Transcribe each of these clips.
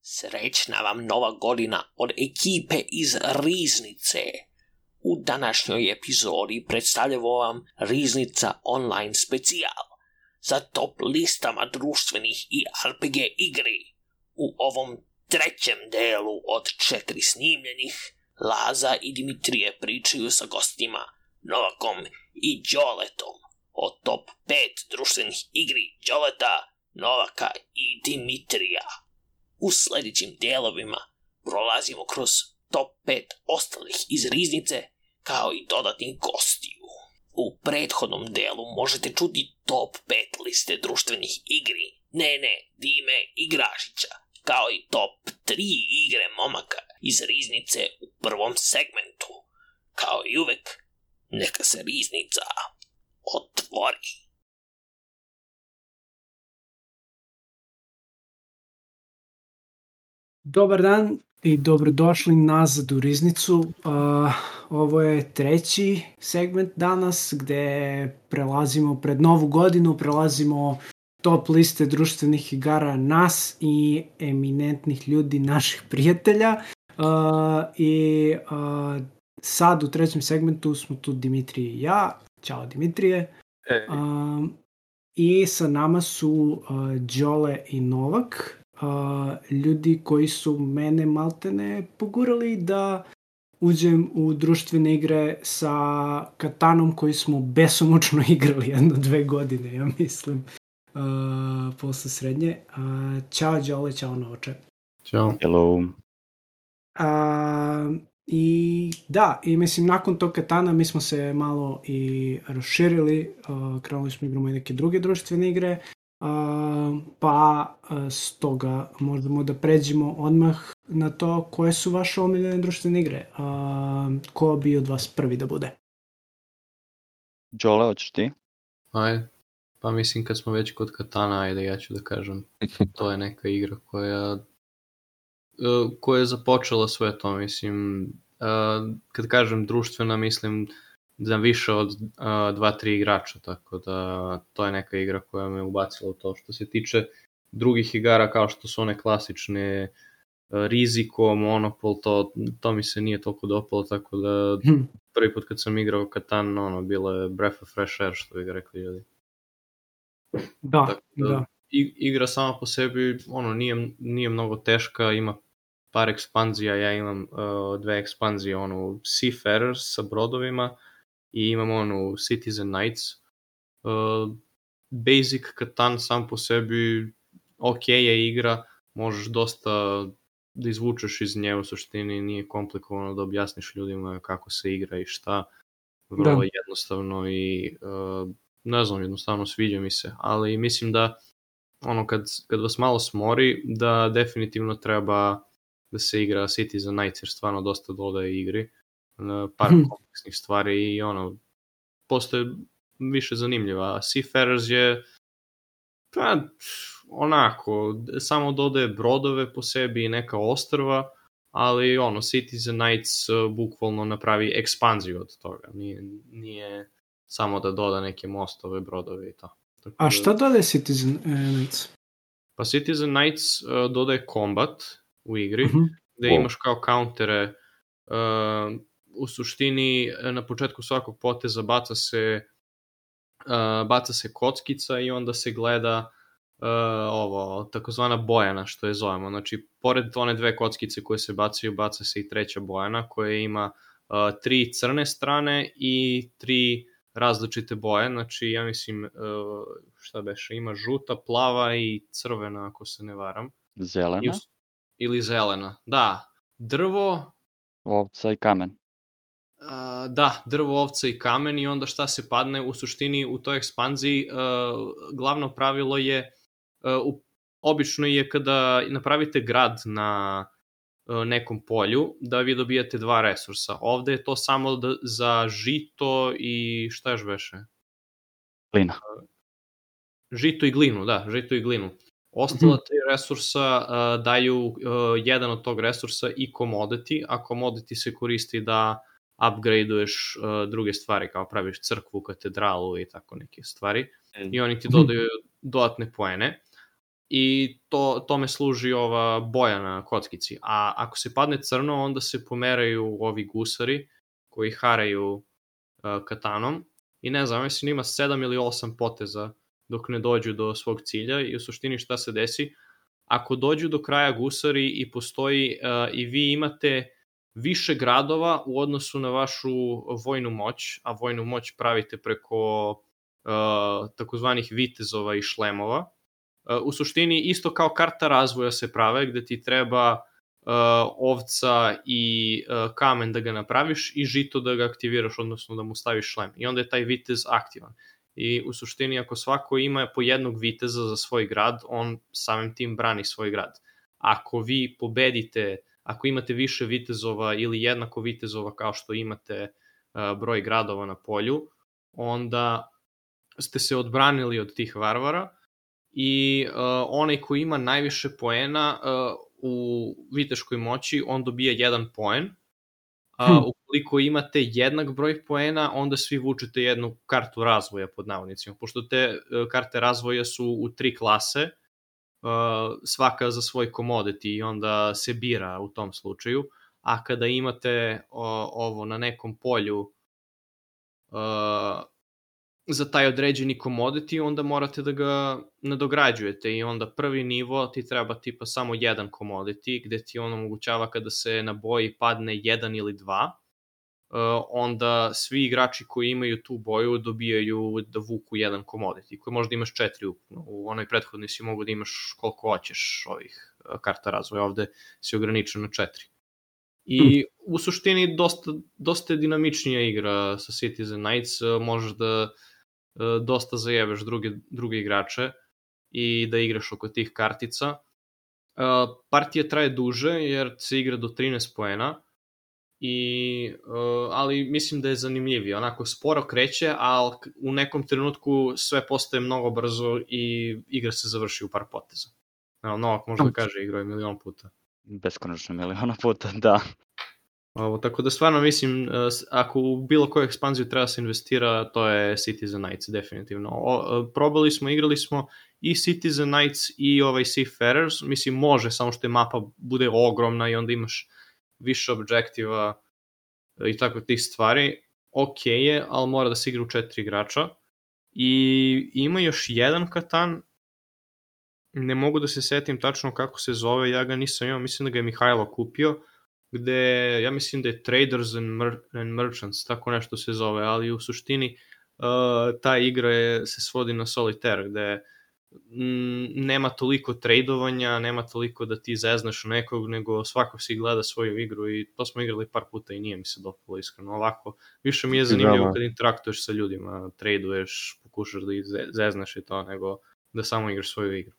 Srećna vam nova godina od ekipe iz Riznice. U današnjoj epizodi predstavljamo vam Riznica online specijal za top listama društvenih i RPG igri. U ovom trećem delu od 4 snimljenih, Laza i Dimitrije pričaju sa gostima Novakom i Đoletom o top 5 društvenih igri Đoleta, Novaka i Dimitrija. U sljedećim dijelovima prolazimo kroz top 5 ostalih iz Riznice, kao i dodatnih gostiju. U prethodnom delu možete čuti top 5 liste društvenih igri Nene, Dime i Gražića, kao i top 3 igre momaka iz Riznice u prvom segmentu. Kao i uvek, neka se Riznica otvori. Dobar dan i dobrodošli nazad u Riznicu. Ovo je treći segment danas gde prelazimo pred novu godinu, prelazimo top liste društvenih igara nas i eminentnih ljudi, naših prijatelja. Sad u trećem segmentu smo tu Dimitrije i ja. Ćao Dimitrije. I sa nama su Đole i Novak. Ljudi koji su mene maltene pogurali da uđem u društvene igre sa Katanom koji smo besomučno igrali 1-2 godine, ja mislim, posle srednje. Ćao Đole, ćao Novače. Ćao. Hello. I mislim nakon tog Katana mi smo se malo i raširili, krenuli smo igramo i neke druge društvene igre. Stoga možemo da pređemo odmah na to koje su vaše omiljene društvene igre. Ko bi od vas prvi da bude? Đole, hoćeš ti? Ajde. Pa mislim kad smo već kod Katana, ajde ja ću da kažem. To je neka igra koja je započela sve to, mislim. Kad kažem društvena, mislim da više od 2-3 igrača, tako da to je neka igra koja me ubacila u to. Što se tiče drugih igara kao što su one klasične, Riziko, Monopol, to mi se nije toliko dopalo, tako da prvi put kad sam igrao Katan, bilo je breath of fresh air, što bi ga rekli ljudi. Da. Igra sama po sebi, nije mnogo teška, ima par ekspanzija, ja imam 2 ekspanzije, Seafarers sa brodovima i imam Citizen Knights. Basic Katan sam po sebi ok je igra, možeš dosta da izvučeš iz nje, u suštini nije komplikovano da objasniš ljudima kako se igra i šta, vrlo jednostavno i ne znam, jednostavno sviđa mi se, ali mislim da kad vas malo smori, da definitivno treba da se igra Citizen Knights, jer stvarno dosta dodaje igri, par kompleksnih stvari i postoje više zanimljiva. Seafarers je samo dodaje brodove po sebi i neka ostrva, ali Citizen Knights bukvalno napravi ekspanziju od toga, nije samo da doda neke mostove, brodove i to. A šta dodaje Citizen Knights? Pa Citizen Knights dodaje kombat u igri, gde imaš kao kauntere, u suštini na početku svakog poteza baca se kockica i onda se gleda takozvana bojana, što je zovemo. Znači, pored one 2 kockice koje se bacaju, baca se i treća bojana koja ima 3 crne strane i 3 različite boje. Znači, ja mislim, šta beše, ima žuta, plava i crvena, ako se ne varam. Zelena? Ili zelena, da. Drvo... Ovca i kamen. Da, drvo, ovca i kamen i onda šta se padne, u suštini u toj ekspanziji glavno pravilo je, obično je kada napravite grad na nekom polju, da vi dobijate 2 resursa. Ovde je to samo za žito i šta još beše? Glina. Žito i glinu, da, žito i glinu. Ostala 3 resursa daju jedan od tog resursa i commodity, a commodity se koristi da upgradeuješ druge stvari, kao praviš crkvu, katedralu i tako neke stvari. I oni ti dodaju dodatne poene. i tome služi ova boja na kockici. A ako se padne crno, onda se pomeraju ovi gusari koji haraju katanom i ne znam, mislim ima 7 ili 8 poteza dok ne dođu do svog cilja i u suštini šta se desi, ako dođu do kraja gusari i postoji i vi imate više gradova u odnosu na vašu vojnu moć, a vojnu moć pravite preko takozvanih vitezova i šlemova, u suštini isto kao karta razvoja se prave, gde ti treba ovca i kamen da ga napraviš i žito da ga aktiviraš, odnosno da mu staviš šlem. I onda je taj vitez aktivan. I u suštini ako svako ima po jednog viteza za svoj grad, on samim tim brani svoj grad. Ako vi pobedite, ako imate više vitezova ili jednako vitezova kao što imate broj gradova na polju, onda ste se odbranili od tih varvara i onaj koji ima najviše poena u viteškoj moći, on dobije 1 poen. Ukoliko imate jednak broj poena, onda svi vučete jednu kartu razvoja pod navodnicima. Pošto te karte razvoja su u 3 klase, svaka za svoj commodity i onda se bira u tom slučaju. A kada imate ovo na nekom polju za taj određeni commodity, onda morate da ga nadograđujete i onda prvi nivo ti treba tipa samo 1 commodity, gde ti on omogućava kada se na boji padne 1 ili 2, onda svi igrači koji imaju tu boju dobijaju da vuku 1 commodity, koji možda imaš 4 ukupno. U onoj prethodnoj si mogu da imaš koliko hoćeš ovih karta razvoja, ovde si ograničen na 4. I u suštini dosta je dinamičnija igra sa Citizen Knights, možeš da dosta zajebeš druge igrače i da igraš oko tih kartica. Partija traje duže jer se igra do 13 poena, ali mislim da je zanimljivije. Onako sporo kreće, ali u nekom trenutku sve postaje mnogo brzo i igra se završi u par poteza. Novak možda kaže igrao je milion puta. Beskonačno miliona puta, da. Tako da stvarno mislim, ako u bilo koju ekspanziju treba se investira, to je Citizen Knights, definitivno. Probali smo, igrali smo i Citizen Knights i ovaj Seafarers, mislim može, samo što je mapa bude ogromna i onda imaš više objektiva i tako tih stvari. Ok je, ali mora da se igra u 4 igrača. I ima još jedan Katan, ne mogu da se setim tačno kako se zove, ja ga nisam imao, mislim da ga je Mihajlo kupio, gde ja mislim da je Traders and Merchants, tako nešto se zove, ali u suštini ta igra se svodi na solitaire, gde nema toliko tradovanja, nema toliko da ti zeznaš nekog, nego svako si gleda svoju igru i to smo igrali par puta i nije mi se dopalo iskreno. Ovako, više mi je zanimljivo kad interaktuješ sa ljudima, traduješ, pokušaš da ih zeznaš i to, nego da samo igraš svoju igru.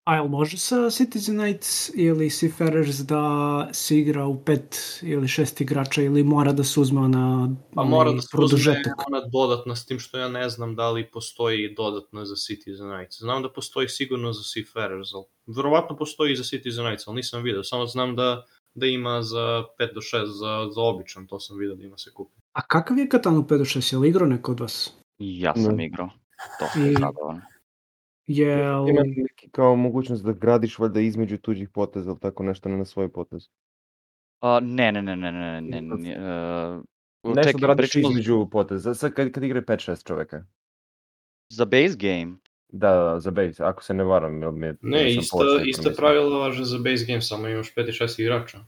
A jel može sa Citizen Knights ili Seafarers da se igra u 5 ili 6 igrača ili mora da se uzme ona mora da se uzme ona dodatna, s tim što ja ne znam da li postoji dodatna za Citizen Knights. Znam da postoji sigurno za Seafarers, ali verovatno postoji i za Citizen Knights, ali nisam vidio. Samo znam da ima za 5 do 6 za običan, to sam vidio da ima se kupi. A kakav je Katan u 5 do 6? Je li igrao neko od vas? Ja sam igrao. To sam zabavan. Ima neki kao mogućnost da gradiš valjda između tuđih poteza ili tako nešto, ne na svoj potez? Ne. Nešto da radiš između poteza, sad kad igra 5-6 čoveka. Za base game? Da, za base, ako se ne varam. Ne, isto pravilo važe za base game, samo imaš 5 i 6 igrača.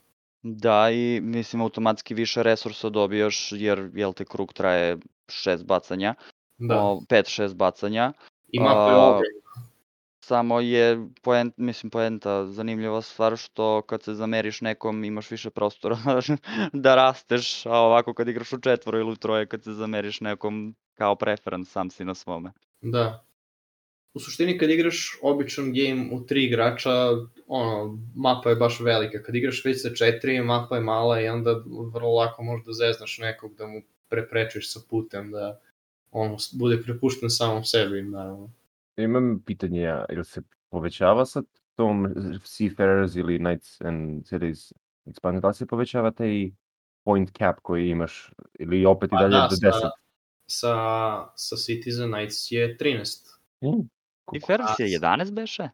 Da, i mislim automatski više resursa dobijaš, jer jel te krug traje 6 bacanja, 5-6 bacanja. I mapa je ogromna. Samo je poenta zanimljiva stvar što kad se zameriš nekom imaš više prostora da rasteš, a ovako kad igraš u 4 ili u 3 kad se zameriš nekom kao preference sam si na svome. Da. U suštini kad igraš običan game u 3 igrača, mapa je baš velika. Kad igraš već sa 4, mapa je mala i onda vrlo lako možeš da zeznaš nekog, da mu preprečiš sa putem, da on bude prepušten samom sebi, naravno. Imam pitanje ja, ili se povećava sa tom Seafarers ili Knights and Cities Expansion, da li se povećava taj point cap koji imaš, ili opet i dalje do 10? Sa Citizen Knights je 13. Seafarers je 11 beše?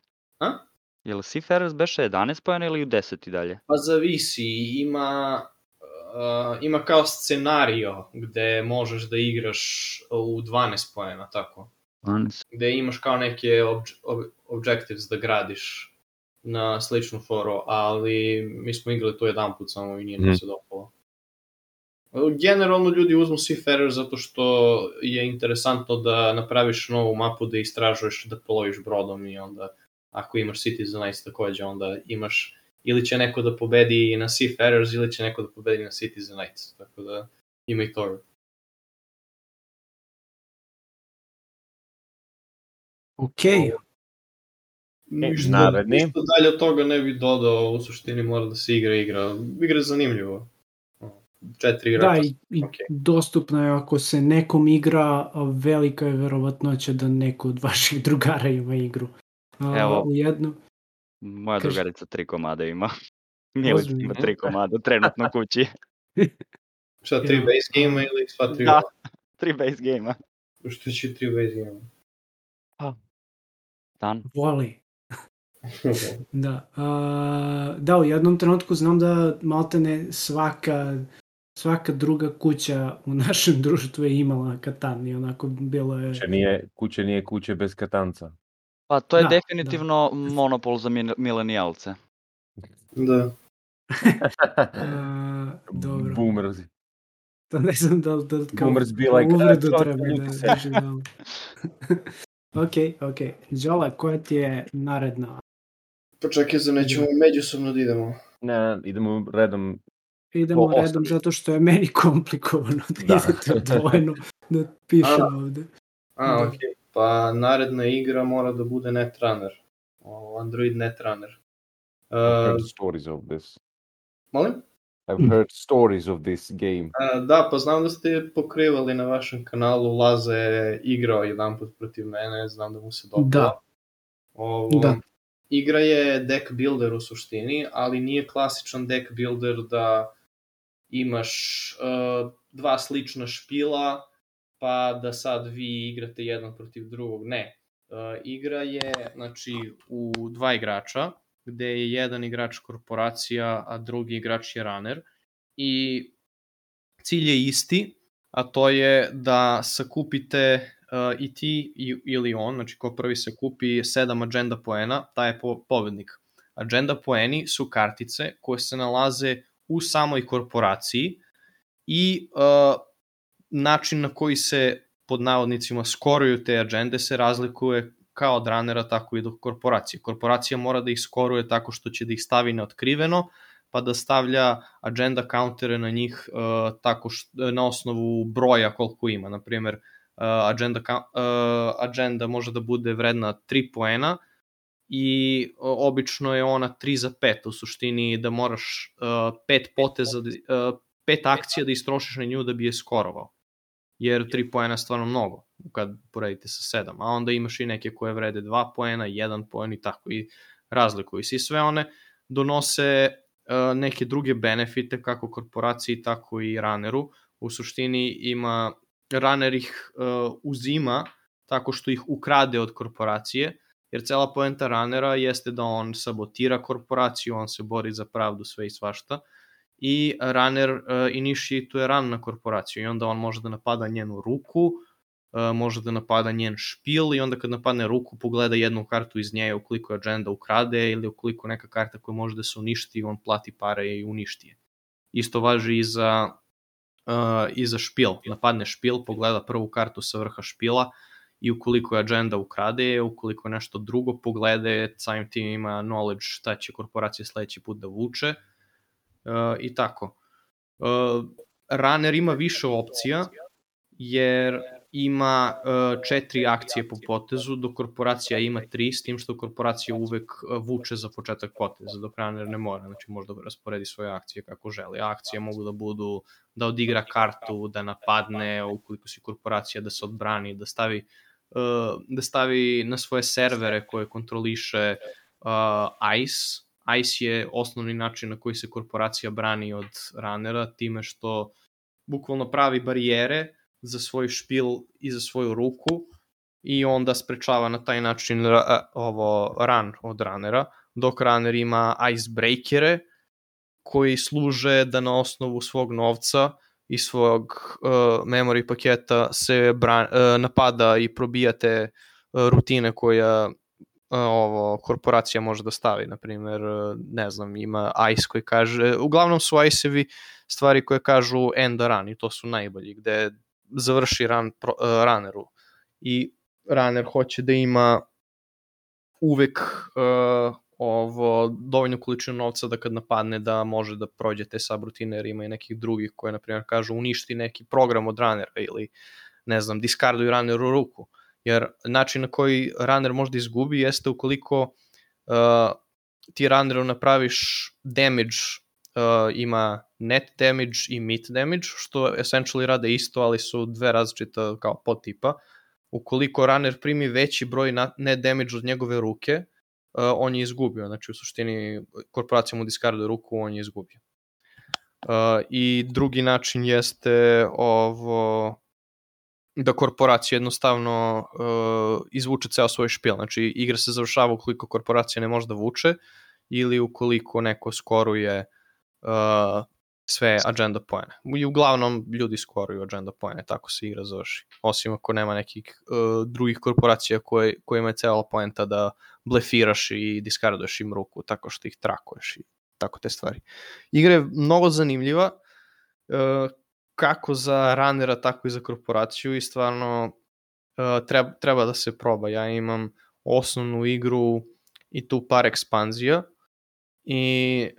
Jel Seafarers beše 11 poena ili u 10 i dalje? Pa zavisi, ima kao scenario gde možeš da igraš u 12 poena, tako. 12. Gde imaš kao neke objectives da gradiš na sličnu foru, ali mi smo igrali to jedan put samo i nije nam se dopalo. Generalno ljudi uzmu Seafarer zato što je interesantno da napraviš novu mapu, da istražuješ, da ploviš brodom i onda ako imaš Citizenites takođe, onda imaš ili će neko da pobedi na Seafarers ili će neko da pobedi na Citizenites, tako da ima i toga. Okej. Naredni. Ništa dalje od toga ne bi dodao, u suštini mora da se igra. Igra je zanimljivo. 4 igrača. Da, i okej. dostupno je ako se nekom igra, velika je verovatnoća da neko od vaših drugara ima igru. Evo. U jednu. Moja Kaži. drugarica 3 komada ima. Milić Ozbiljno? ima 3 komada trenutno kući. Šta, 3 base game ili sva 3? Da, 3 base game-a. Što će 3 base game? Dan. Voli. Da. Da, u jednom trenutku znam da maltene svaka druga kuća u našem društvu je imala Katan i onako bilo je... Kuće nije kuće bez Katanca. Pa to je Da, definitivno monopol za milenijalce. Da. Dobro. Boomers. To ne znam da kao Boomers be like, uvredu "Ah, treba ljudi da se." doživljamo. Ok. Đole, koja ti je naredna? Pa čekaj, za nećemo međusobno da idemo. Ne, idemo redom. Idemo To redom ostavi. zato što je meni komplikovano da Da. idete odvojeno da pišem ovde. Da. Okej. Pa naredna igra mora da bude Netrunner. Android Netrunner. I've heard stories of this. Molim? I've heard stories of this game. Da, pa znam da ste pokrivali na vašem kanalu, Laza je igrao jedan put protiv mene, znam da mu se dopala. Da. Igra je deck builder u suštini, ali nije klasičan deck builder da imaš dva slična špila, pa da sad vi igrate jedan protiv drugog. Ne. Igra je, znači, u dva igrača, gde je jedan igrač korporacija, a drugi igrač je runner. I cilj je isti, a to je da sakupite i ti ili on, znači ko prvi se kupi 7 agenda poena, taj je pobednik. Agenda poeni su kartice koje se nalaze u samoj korporaciji i način na koji se pod navodnicima skoruju te agende se razlikuje kao od runnera, tako i do korporacije. Korporacija mora da ih skoruje tako što će da ih stavi neotkriveno, pa da stavlja agenda countere na njih tako na osnovu broja koliko ima. Naprimer, agenda može da bude vredna 3 poena i obično je ona 3 za 5. U suštini da moraš 5 akcija da istrošiš na nju da bi je skorovao. Jer 3 poena je stvarno mnogo kad poredite sa 7. A onda imaš i neke koje vrede 2 poena, 1 poen i tako i razlikuju se. I sve one donose neke druge benefite kako korporaciji, tako i runneru. U suštini runner ih uzima tako što ih ukrade od korporacije, jer cela poenta runnera jeste da on sabotira korporaciju, on se bori za pravdu, sve i svašta, i runner initiatuje run na korporaciju i onda on može da napada njenu ruku, može da napada njen špil i onda kad napadne ruku pogleda jednu kartu iz nje ukoliko je agenda ukrade ili ukoliko neka karta koja može da se uništi, on plati pare i uništi je. Isto važi i za špil. Napadne špil, pogleda prvu kartu sa vrha špila i ukoliko je agenda ukrade, ukoliko je nešto drugo poglede, samim tim ima knowledge šta će korporacija sledeći put da vuče i tako. Runner ima više opcija jer ima 4 akcije po potezu, dok korporacija ima 3, s tim što korporacija uvek vuče za početak poteza, dok runner ne mora, znači može da rasporedi svoje akcije kako želi. Akcije mogu da budu da odigra kartu, da napadne, ukoliko si korporacija da se odbrani, da stavi na svoje servere koje kontroliše ICE. ICE je osnovni način na koji se korporacija brani od runnera, time što bukvalno pravi barijere za svoj špil i za svoju ruku i onda sprečava na taj način run od runnera, dok runner ima icebreakere koji služe da na osnovu svog novca i svog memory paketa se napada i probija te rutine koja korporacija može da stavi. Naprimjer, ne znam, ima ICE koji kaže, uglavnom su ICE-evi stvari koje kažu end a run i to su najbolji, gde završi run runneru i runner hoće da ima uvek dovoljnu količinu novca da kad napadne da može da prođe te subrutine, jer ima i nekih drugih koje, na primjer, kažu uništi neki program od runnera ili, ne znam, diskarduj runneru ruku. Jer način na koji runner može da izgubi jeste ukoliko ti runneru napraviš damage, ima net damage i meat damage, što essentially rade isto, ali su dve različita kao podtipa. Ukoliko runner primi veći broj net damage od njegove ruke, on je izgubio. Znači, u suštini, korporacija mu diskarduje ruku, on je izgubio. I drugi način jeste da korporacija jednostavno izvuče ceo svoj špil. Znači, igra se završava ukoliko korporacija ne može da vuče ili ukoliko neko skoruje sve agenda poene. I uglavnom ljudi skoruju agenda poene, tako se igra završi. Osim ako nema nekih drugih korporacija kojima je cela poenta da blefiraš i diskarduješ im ruku tako što ih trakuješ i tako te stvari. Igra je mnogo zanimljiva, kako za runnera, tako i za korporaciju i stvarno treba da se proba. Ja imam osnovnu igru i tu par ekspanzija i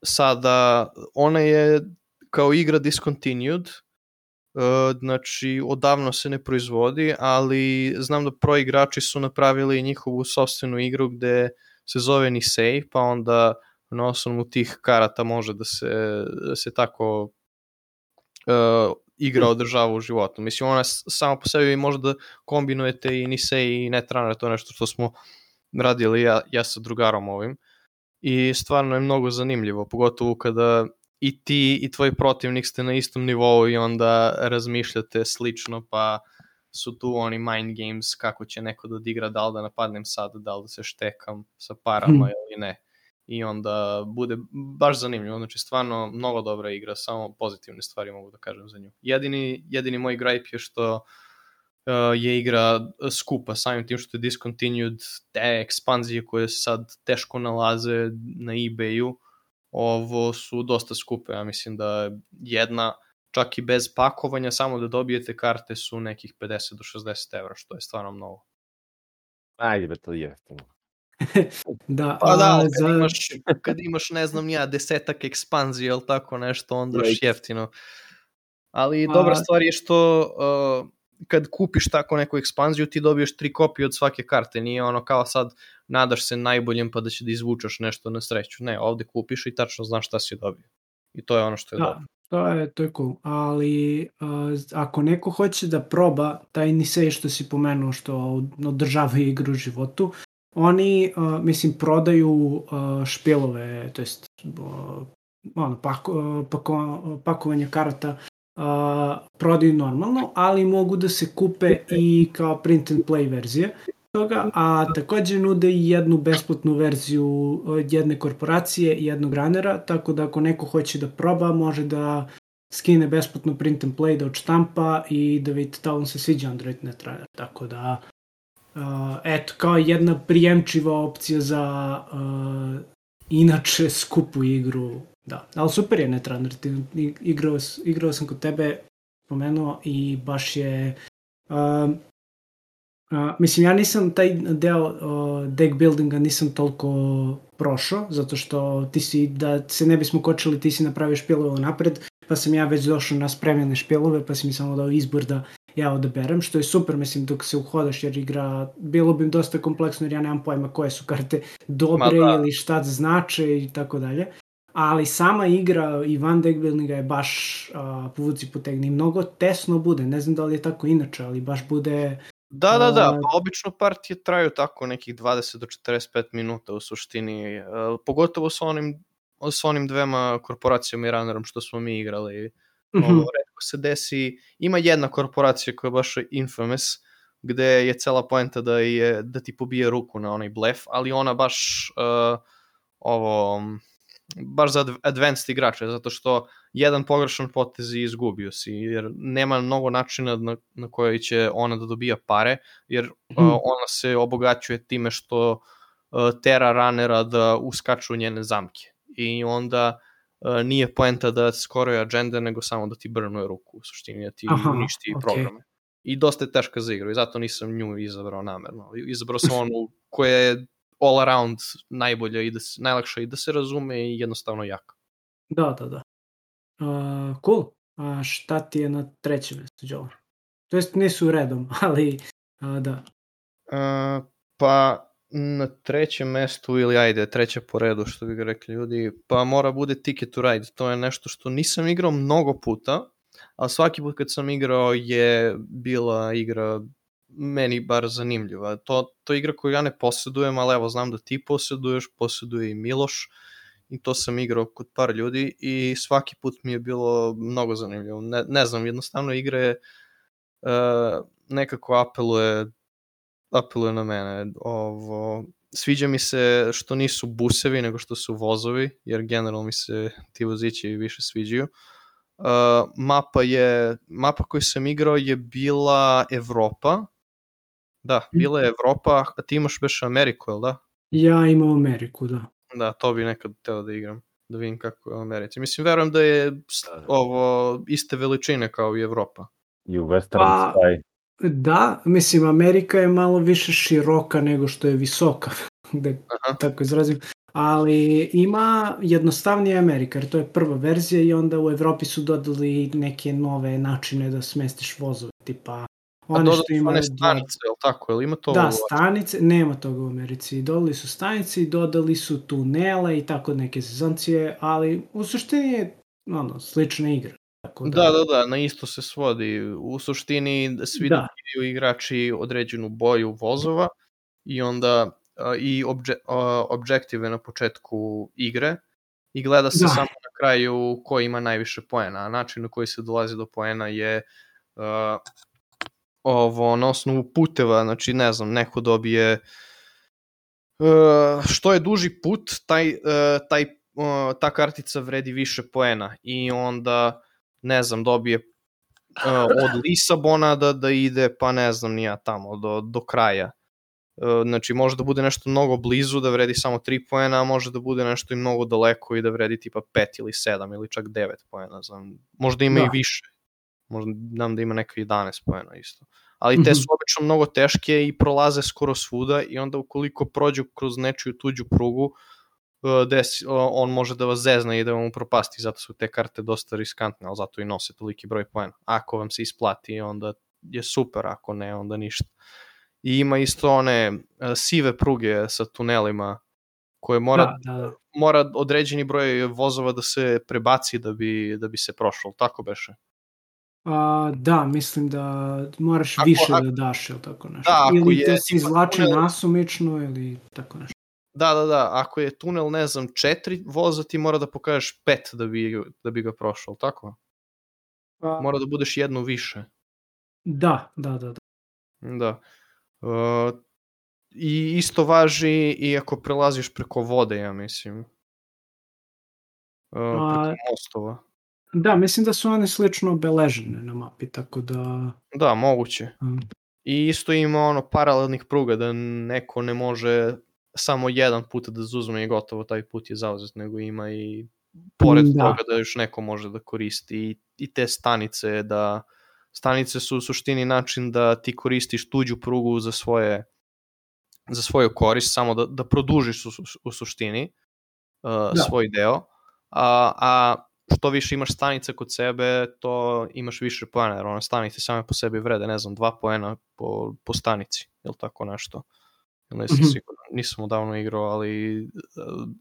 sada ona je kao igra discontinued, znači odavno se ne proizvodi, ali znam da pro igrači su napravili njihovu sopstvenu igru gde se zove Nisei, pa onda na osnovu tih karata može da se tako igra održava u životu. Mislim, ona sama po sebi može da kombinujete i Nisei i Netrunner, to je nešto što smo radili ja sa drugarom ovim. I stvarno je mnogo zanimljivo, pogotovo kada i ti i tvoj protivnik ste na istom nivou i onda razmišljate slično, pa su tu oni mind games kako će neko da odigra, da li da napadnem sad, da li da se štekam sa parama ili ne. I onda bude baš zanimljivo, znači stvarno mnogo dobra igra, samo pozitivne stvari mogu da kažem za nju. Jedini moj gripe je što je igra skupa, samim tim što je discontinued, te ekspanzije koje sad teško nalaze na eBayu, ovo su dosta skupe. Ja mislim da jedna, čak i bez pakovanja, samo da dobijete karte su nekih 50 do 60 evra, što je stvarno mnogo. Ajde be, to je jeftino. Da, pa da, kad imaš, ne znam ja, 10 ekspanzije ili tako nešto, onda još jeftino. Ali dobra stvar je što kad kupiš tako neku ekspanziju, ti dobiješ 3 kopije od svake karte. Nije ono kao sad nadaš se najboljem pa da će da izvučeš nešto na sreću. Ne, ovde kupiš i tačno znaš šta si dobio. I to je ono što je dobro. To je cool. Ali ako neko hoće da proba taj Nisei što si pomenuo, što održava igru u životu, oni, mislim, prodaju špilove, to jest pakovanje karata, prodaju normalno, ali mogu da se kupe i kao print and play verzije toga, a takođe nude i jednu besplatnu verziju jedne korporacije i jednog runnera, tako da ako neko hoće da proba, može da skine besplatno print and play, da odštampa i da vidite da vam se sviđa Android Netrunner, tako da eto, kao jedna prijemčiva opcija za inače skupu igru. Da, ali super je Netrunner, igrao sam kod tebe, pomenuo i baš je mislim, ja nisam taj deo deck buildinga nisam toliko prošao, zato što ti si, da se ne bismo kočili, ti si napravio špilove napred, pa sam ja već došao na spremljene špilove, pa si mi samo dao izbor da ja odaberem, što je super, mislim, dok se uhodaš, jer igra, bilo bi dosta kompleksno, jer ja nemam pojma koje su karte dobre ili šta znače i tako dalje. Ali sama igra i van deck buildinga je baš povuci potegni. Mnogo tesno bude, ne znam da li je tako inače, ali baš bude... Da, pa obično partije traju tako nekih 20 do 45 minuta u suštini, pogotovo s onim dvema korporacijama i runnerom što smo mi igrali. Retko se desi, ima jedna korporacija koja je baš infamous, gde je cela poenta da ti pobije ruku na onaj blef, ali ona baš baš za advanced igrače, zato što jedan pogrešan potez i izgubio si, jer nema mnogo načina na koji će ona da dobija pare, jer ona se obogaćuje time što tera runnera da uskaču u njene zamke. I onda nije poenta da skoruje agenda, nego samo da ti brnuje ruku, u suštini, da ti uništi programe. I dosta je teška za igru, i zato nisam nju izabrao namerno. Izabrao sam onu koja je all around najbolja i najlakša i da se razume i jednostavno jaka. Da. Cool. A šta ti je na trećem mjestu, Joe? To jest nisu redom, ali da. Pa na trećem mestu, ili ajde, treće po redu, što bi ga rekli ljudi, pa mora bude Ticket to Ride. To je nešto što nisam igrao mnogo puta, ali svaki put kad sam igrao je bila igra meni bar zanimljiva. To je igra koju ja ne posjedujem, ali evo znam da ti posjeduje i Miloš, i to sam igrao kod par ljudi i svaki put mi je bilo mnogo zanimljivo. Ne znam, jednostavno igre nekako apeluje na mene. Sviđa mi se što nisu busevi, nego što su vozovi, jer generalno mi se ti vozići više sviđaju. Mapa koju sam igrao je bila Evropa. Da, bila je Evropa, a ti imaš već Ameriku, jel da? Ja imam Ameriku, da. Da, to bi nekad teo da igram, da vidim kako je u Americi. Mislim, verujem da je ovo iste veličine kao i Evropa. I u Western Sky. Da, mislim, Amerika je malo više široka nego što je visoka, da tako izrazim. Ali ima jednostavnije Amerika, jer to je prva verzija i onda u Evropi su dodali neke nove načine da smestiš vozove, tipa one što imaju stanice, jel tako? Jel ima to? Da, stanice, nema toga u Americi. Dodali su stanice i dodali su tunele i tako neke sezoncije, ali u suštini je slična igra. Da, na isto se svodi. U suštini svi dobiju igrači određenu boju vozova i onda i objektive na početku igre i gleda se samo na kraju ko ima najviše poena. A način na koji se dolazi do poena je na osnovu puteva, znači ne znam, neko dobije što je duži put, ta kartica vredi više poena i onda ne znam, dobije od Lisabona da ide, pa ne znam, nija tamo, do kraja. Znači, može da bude nešto mnogo blizu da vredi samo 3 poena, a može da bude nešto i mnogo daleko i da vredi tipa 5 ili 7 ili čak 9 poena, znam. Možda ima i više. Možda znam da ima neka 11 poena isto. Ali te su obično mnogo teške i prolaze skoro svuda i onda ukoliko prođu kroz nečiju tuđu prugu, on može da vas zezna i da vam upropasti, zato su te karte dosta riskantne, ali zato i nose toliki broj poena. Ako vam se isplati, onda je super, ako ne, onda ništa. I ima isto one sive pruge sa tunelima koje mora određeni broj vozova da se prebaci da bi se prošlo, tako beše? Da, mislim da moraš više da daš, ili tako nešto. Ili da se izvlači nasumično, ili tako nešto. Da, ako je tunel, ne znam, 4 voza, ti mora da pokažeš 5 da bi ga prošao, tako? Mora da budeš jedno više. Da. I isto važi i ako prelaziš preko vode, ja mislim. Preko mostova. Da, mislim da su one slično obeležene na mapi, tako da... Da, moguće. I isto ima paralelnih pruga, da neko ne može samo jedan put da zuzme i gotovo, taj put je zauzet, nego ima i pored toga da još neko može da koristi i te stanice, stanice su u suštini način da ti koristiš tuđu prugu za svoju korist, samo da produžiš u suštini svoj deo, a što više imaš stanica kod sebe, to imaš više poena, jer one stanice same po sebi vrede, ne znam, 2 poena po stanici, ili tako nešto. Nisam odavno igrao, ali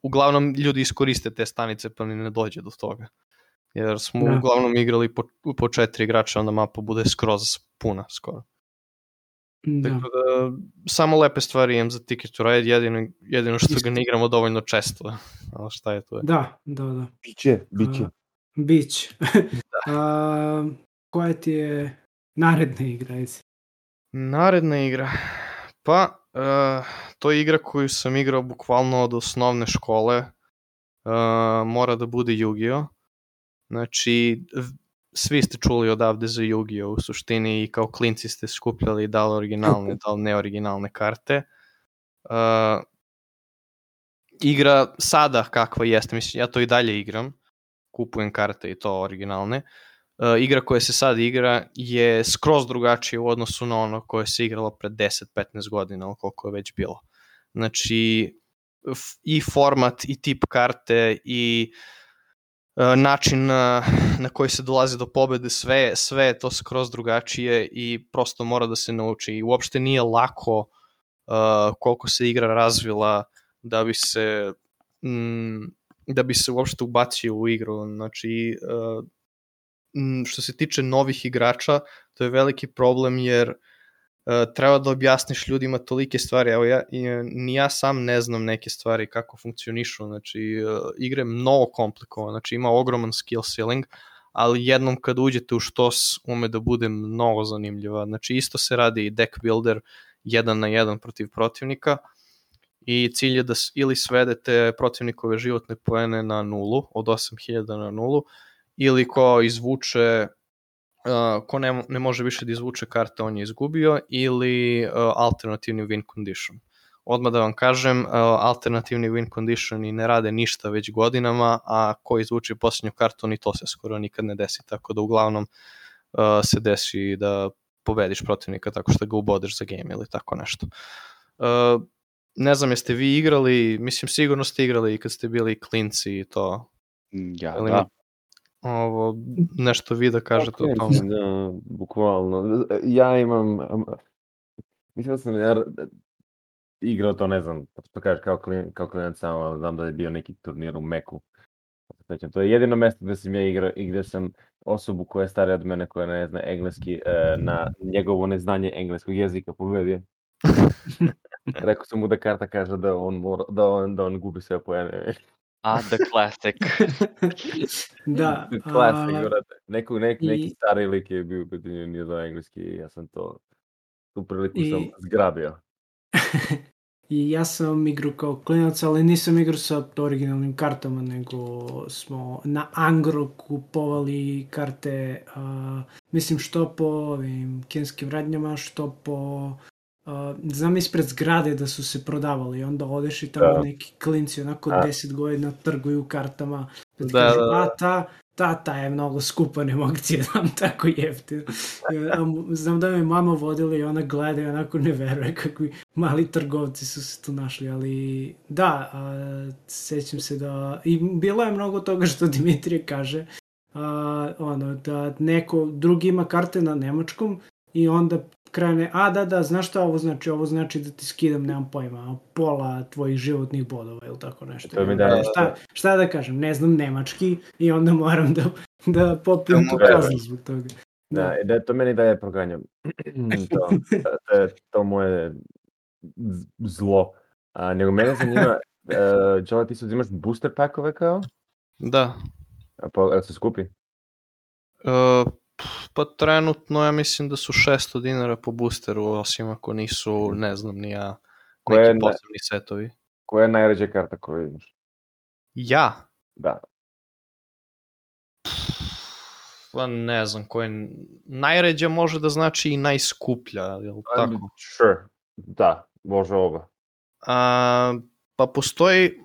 uglavnom ljudi iskoriste te stanice pa ni ne dođe do toga. Jer smo uglavnom igrali po 4 igrača, onda mapa bude skroz puna skoro. Tako da, samo lepe stvari imam za Ticket to Ride, jedino što ga ne igramo dovoljno često. Ali šta je to? Da. Biće. Koja ti je naredna igra? Naredna igra. Pa, to je igra koju sam igrao bukvalno od osnovne škole. Mora da bude Yu-Gi-Oh! Znači, svi ste čuli odavde za Yu-Gi-Oh! U suštini i kao klinci ste skupljali da li originalne, da li neoriginalne karte. Igra sada kakva jeste, mislim, ja to i dalje igram, kupujem karte i to originalne. Igra koja se sad igra je skroz drugačija u odnosu na ono koje se igralo pred 10-15 godina, koliko je već bilo. Znači, i format, i tip karte, i način na koji se dolazi do pobede, sve je to skroz drugačije i prosto mora da se nauči. I uopšte nije lako koliko se igra razvila da bi se uopšte ubacio u igru. Znači, što se tiče novih igrača, to je veliki problem jer treba da objasniš ljudima tolike stvari. Evo, ni ja sam ne znam neke stvari kako funkcionišu. Znači, igra je mnogo komplikovana, znači ima ogroman skill ceiling, ali jednom kad uđete u štos ume da bude mnogo zanimljiva. Znači, isto se radi i deck builder 1-1 protiv protivnika i cilj je da ili svedete protivnikove životne poene na nulu, od 8000 na nulu, ili ko izvuče, ko ne može više da izvuče karte, on je izgubio, ili alternativni win condition. Odmah da vam kažem, alternativni win condition i ne rade ništa već godinama, a ko izvuče posljednju kartu, ni to se skoro nikad ne desi, tako da uglavnom se desi da pobediš protivnika tako što ga ubodeš za game ili tako nešto. Ne znam, jeste vi igrali, mislim sigurno ste igrali i kad ste bili klinci i to. Ja, da. Ovo, nešto vi da kažete o tome. Da, bukvalno. Ja imam, mislim da sam igrao to, ne znam, što kažeš, kao klinac samo, znam da je bio neki turnir u Meku. To je jedino mesto gde sam ja igrao i gde sam osobu koja je starija od mene, koja ne zna engleski, na njegovo neznanje engleskog jezika pobedio. Rekao sam mu da karta kaže da on gubi sve poene. The classic. Da. Classic, brate. Neki stari lik je bio kad nije znao engleski i ja sam tu priliku sam zgrabio. I ja sam igrao kao klinac, ali nisam igrao sa originalnim kartama, nego smo na Angro kupovali karte, mislim što po ovim kineskim radnjama, što po... znam ispred zgrade da su se prodavali i onda odeš i tamo neki klinci onako 10 godina trguju kartama. Pa ti kažu, ta je mnogo skupa, ne mogu ti je dam tako jeftino. Znam da me mama vodila i ona gleda i onako ne veruje kakvi mali trgovci su se tu našli, ali da, sećam se da, i bilo je mnogo toga što Dimitrije kaže, da neko drugi ima karte na nemačkom i onda krene, da, znaš šta ovo znači? Ovo znači da ti skidam, nemam pojma, pola tvojih životnih bodova ili tako nešto. Šta da kažem, ne znam nemački i onda moram da popijem tu kaznu zbog toga. Da, to meni daje proganjam. To moje zlo. Nego mene zanima, Jola, ti se uzimaš booster packove kao? Da. Pa se skupi? Pa trenutno ja mislim da su 600 dinara po boosteru, osim ako nisu, ne znam, ni ja, neki posebni setovi. Koja je najređa karta koju imaš? Ja? Da. Pa ne znam, koja je najređa može da znači i najskuplja, je li tako? Sure, da, može oba. Pa postoji,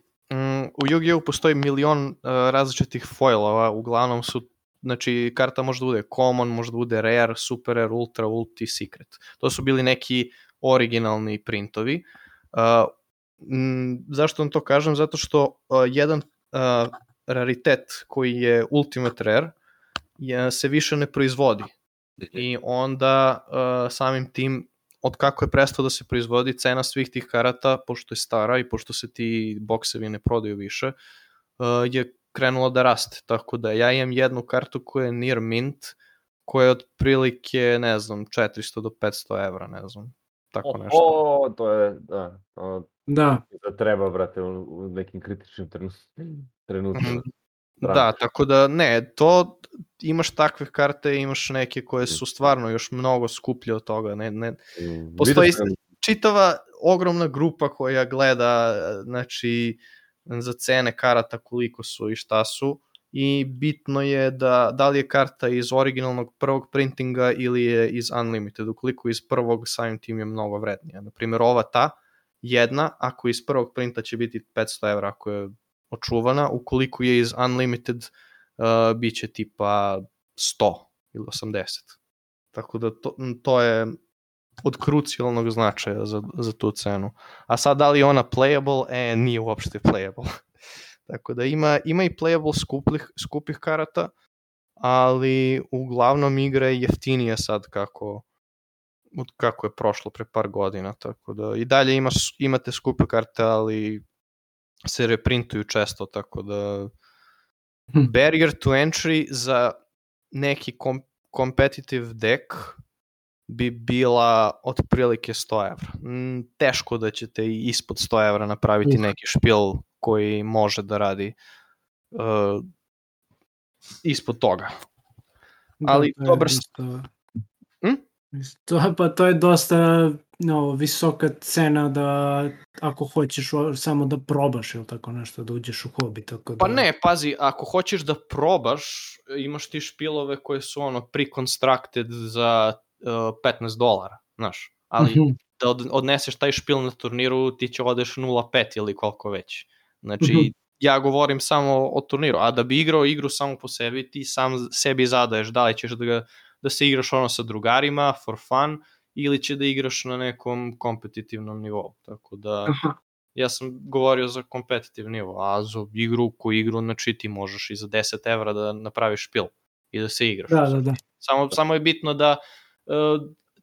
u Yu-Gi-Oh! Postoji milion različitih foilova, uglavnom su, znači karta može da bude common, može da bude rare, super rare, ultra, ulti, secret. To su bili neki originalni printovi. Zašto vam to kažem? Zato što jedan raritet koji je ultimate rare se više ne proizvodi. I onda samim tim, od kako je prestao da se proizvodi, cena svih tih karata, pošto je stara i pošto se ti boksevi ne prodaju više, je krenulo da raste, tako da ja imam jednu kartu koja je near mint, koja je otprilike, ne znam, 400 do 500 evra, ne znam, tako nešto. To je, da. Treba, brate, u nekim kritičnim trenutima. Da, tako da, ne, imaš takve karte, imaš neke koje su stvarno još mnogo skuplje od toga. Postoji čitava ogromna grupa koja gleda, znači, za cene karata koliko su i šta su, i bitno je da li je karta iz originalnog prvog printinga ili je iz Unlimited. Ukoliko je iz prvog, samim tim je mnogo vrednija. Naprimjer, ova jedna, ako iz prvog printa će biti 500 evra ako je očuvana, ukoliko je iz Unlimited bit će tipa 100 ili 80. Tako da to je od krucijalnog značaja za tu cenu. A sad, da li je ona playable? Nije uopšte playable. Tako da ima i playable skupih karata, ali uglavnom igra je jeftinija sad kako je prošlo pre par godina. Tako da i dalje imate skupe karte, ali se reprintuju često, tako da barrier to entry za neki competitive deck bi bila otprilike 100 evra. Teško da ćete i ispod 100 evra napraviti neki špil koji može da radi ispod toga. Ali dobar... To je dosta visoka cena da ako hoćeš samo da probaš ili tako nešto, da uđeš u hobi. Tako da... Pa ne, pazi, ako hoćeš da probaš, imaš ti špilove koje su pre-constructed za $15, znaš, ali da odneseš taj špil na turniru, ti će odeš 0.5 ili koliko već. Znači, ja govorim samo o turniru, a da bi igrao igru samo po sebi, ti sam sebi zadaješ da li ćeš da se igraš sa drugarima, for fun, ili će da igraš na nekom kompetitivnom nivou. Tako da, ja sam govorio za kompetitiv nivo, a za igru, znači ti možeš i za 10 evra da napraviš špil i da se igraš. Da. Samo je bitno da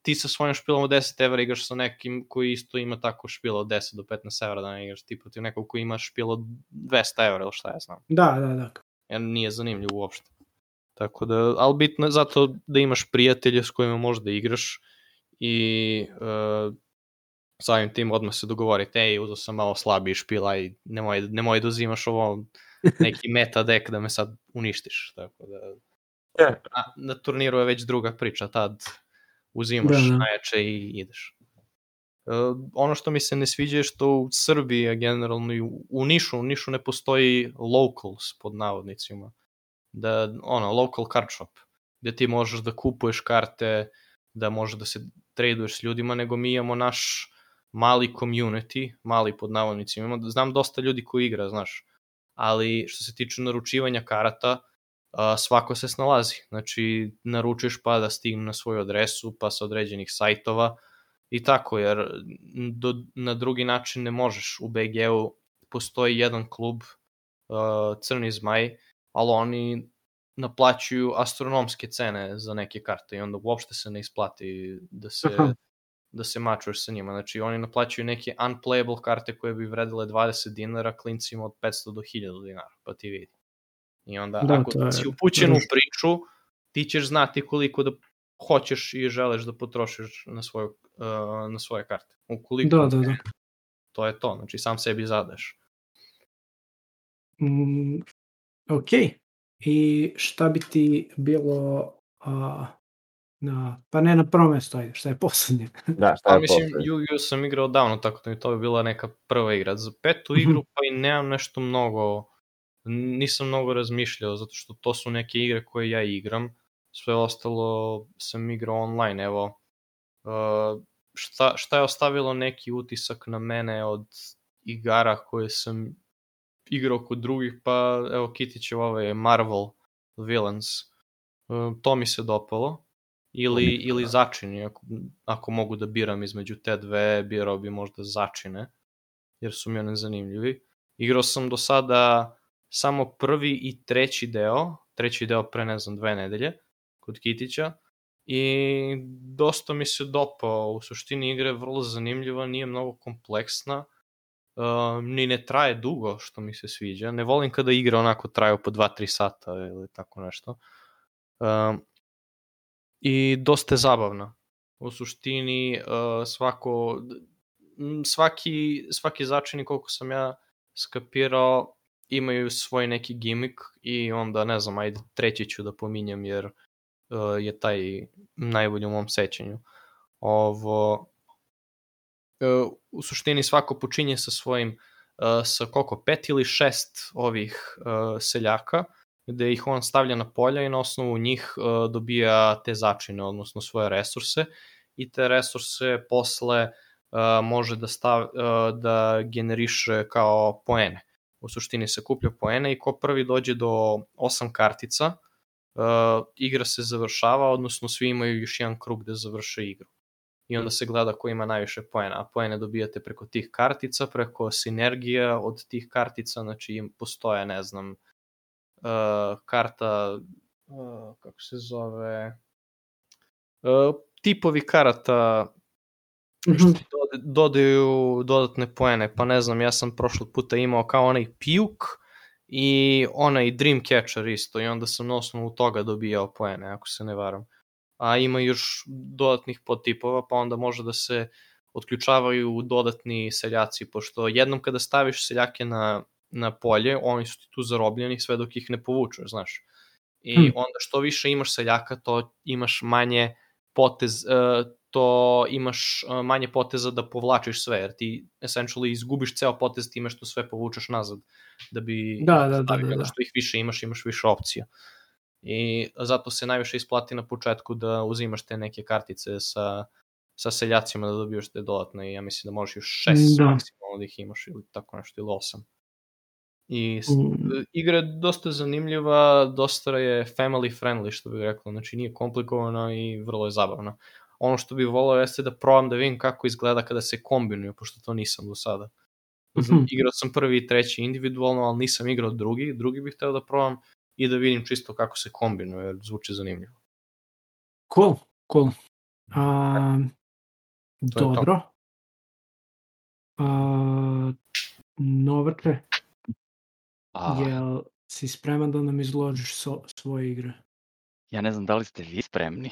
ti sa svojim špilom od 10 evra igraš sa nekim koji isto ima tako špil od 10 do 15 evra, da ne igraš ti protiv nekog koji ima špil od 200 evra ili šta ja znam. Da. Jer nije zanimljiv uopšte. Tako da, ali bitno je zato da imaš prijatelje s kojima možeš da igraš i samim tim odmah se dogovorite, uzao sam malo slabiji špil, aj nemoj da uzimaš ovo neki meta deck da me sad uništiš. Tako da, na turniru je već druga priča, tad uzimaš najjače i ideš. Ono što mi se ne sviđa je što u Srbiji, a generalno i u Nišu ne postoji locals pod navodnicima. Da, local card shop, gde ti možeš da kupuješ karte, da možeš da se traduješ s ljudima, nego mi imamo naš mali community, mali pod navodnicima. Znam dosta ljudi koji igra, znaš, ali što se tiče naručivanja karata, svako se snalazi. Znači, naručiš pa da stigne na svoju adresu, pa sa određenih sajtova i tako, jer na drugi način ne možeš. U BG-u postoji jedan klub, Crni zmaj, ali oni naplaćuju astronomske cene za neke karte i onda uopšte se ne isplati da se mačuješ sa njima. Znači, oni naplaćuju neke unplayable karte koje bi vredile 20 dinara klincima od 500 do 1000 dinara, pa ti vidi. I onda, ako si upućen u priču, ti ćeš znati koliko da hoćeš i želiš da potrošiš na svoje karte. Ukoliko da. To je to, znači sam sebi zadaješ. Ok. I šta bi ti bilo pa ne na prvo mesto, ajde, šta je poslednje? Mislim, Yu-Gi-Oh sam igrao davno, tako da mi to bi bila neka prva igra. Za petu igru pa i nemam nešto mnogo, nisam mnogo razmišljao, zato što to su neke igre koje ja igram. Sve ostalo sam igrao online, evo. Šta je ostavilo neki utisak na mene od igara koje sam igrao kod drugih, pa evo Kitićev Marvel Villains, to mi se dopalo, ili Začini, ako mogu da biram između te dve, birao bi možda Začine, jer su mi one zanimljivi. Igrao sam do sada samo prvi i treći deo pre 2 nedelje kod Kitića i dosta mi se dopao. U suštini igra je vrlo zanimljiva, nije mnogo kompleksna, ni ne traje dugo, što mi se sviđa. Ne volim kada igre onako traju po 2-3 sata ili tako nešto. I dosta je zabavna. U suštini svaki začini, koliko sam ja skapirao, imaju svoj neki gimik i onda, ne znam, ajde, treći ću da pominjem jer je taj najbolji u mom sećanju. U suštini svako počinje sa svojim sa koliko, 5 ili 6 ovih seljaka, gde ih on stavlja na polja i na osnovu njih dobija te začine, odnosno svoje resurse, i te resurse posle može da generiše kao poene. U suštini se kuplja poene i ko prvi dođe do 8 kartica, igra se završava, odnosno svi imaju još jedan krug da završe igru. I onda se gleda ko ima najviše poena, a poene dobijate preko tih kartica, preko sinergija od tih kartica, znači im postoje, ne znam, karta, kako se zove, tipovi karata što dodaju dodatne poene, pa ne znam, ja sam prošlog puta imao kao onaj Pijuk i onaj Dreamcatcher isto, i onda sam na osnovu toga dobijao poene, ako se ne varam. A ima još dodatnih podtipova, pa onda može da se otključavaju dodatni seljaci, pošto jednom kada staviš seljake na polje, oni su ti tu zarobljeni sve dok ih ne povučeš, znaš. I onda što više imaš seljaka, to imaš manje manje poteza da povlačiš sve, jer ti essentially izgubiš ceo potez time što sve povučeš nazad, da bi stavio, što ih više imaš više opcija. I zato se najviše isplati na početku da uzimaš te neke kartice sa seljacima da dobiješ te dodatne, i ja mislim da možeš još 6 maksimalno da ih imaš ili tako nešto, ili 8. I igra je dosta zanimljiva, dosta je family friendly, što bih rekao, znači nije komplikovana i vrlo je zabavna. Ono što bih volao jeste da probam da vidim kako izgleda kada se kombinuju, pošto to nisam do sada. Igrao sam prvi i treći individualno, ali nisam igrao drugi bih hteo da probam i da vidim čisto kako se kombinuje, jer zvuči zanimljivo. Cool. Dobro. Novače, jel si spreman da nam izložiš svoje igre? Ja ne znam da li ste vi spremni.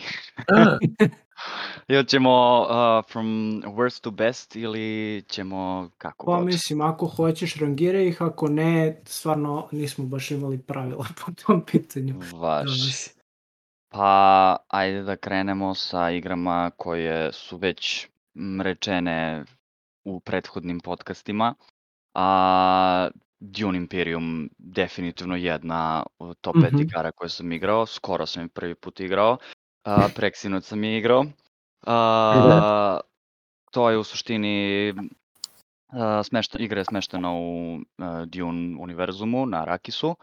Ili ćemo from worst to best ili ćemo kako god? Pa mislim, ako hoćeš rangiraj ih, ako ne, stvarno nismo baš imali pravila po tom pitanju. Važi. Pa ajde da krenemo sa igrama koje su već rečene u prethodnim podcastima. Dune Imperium definitivno jedna od top 5 igara koje sam igrao, skoro sam je prvi put igrao, preksinoć sam je igrao. To je u suštini igra je smeštena u Dune univerzumu na Arakisu.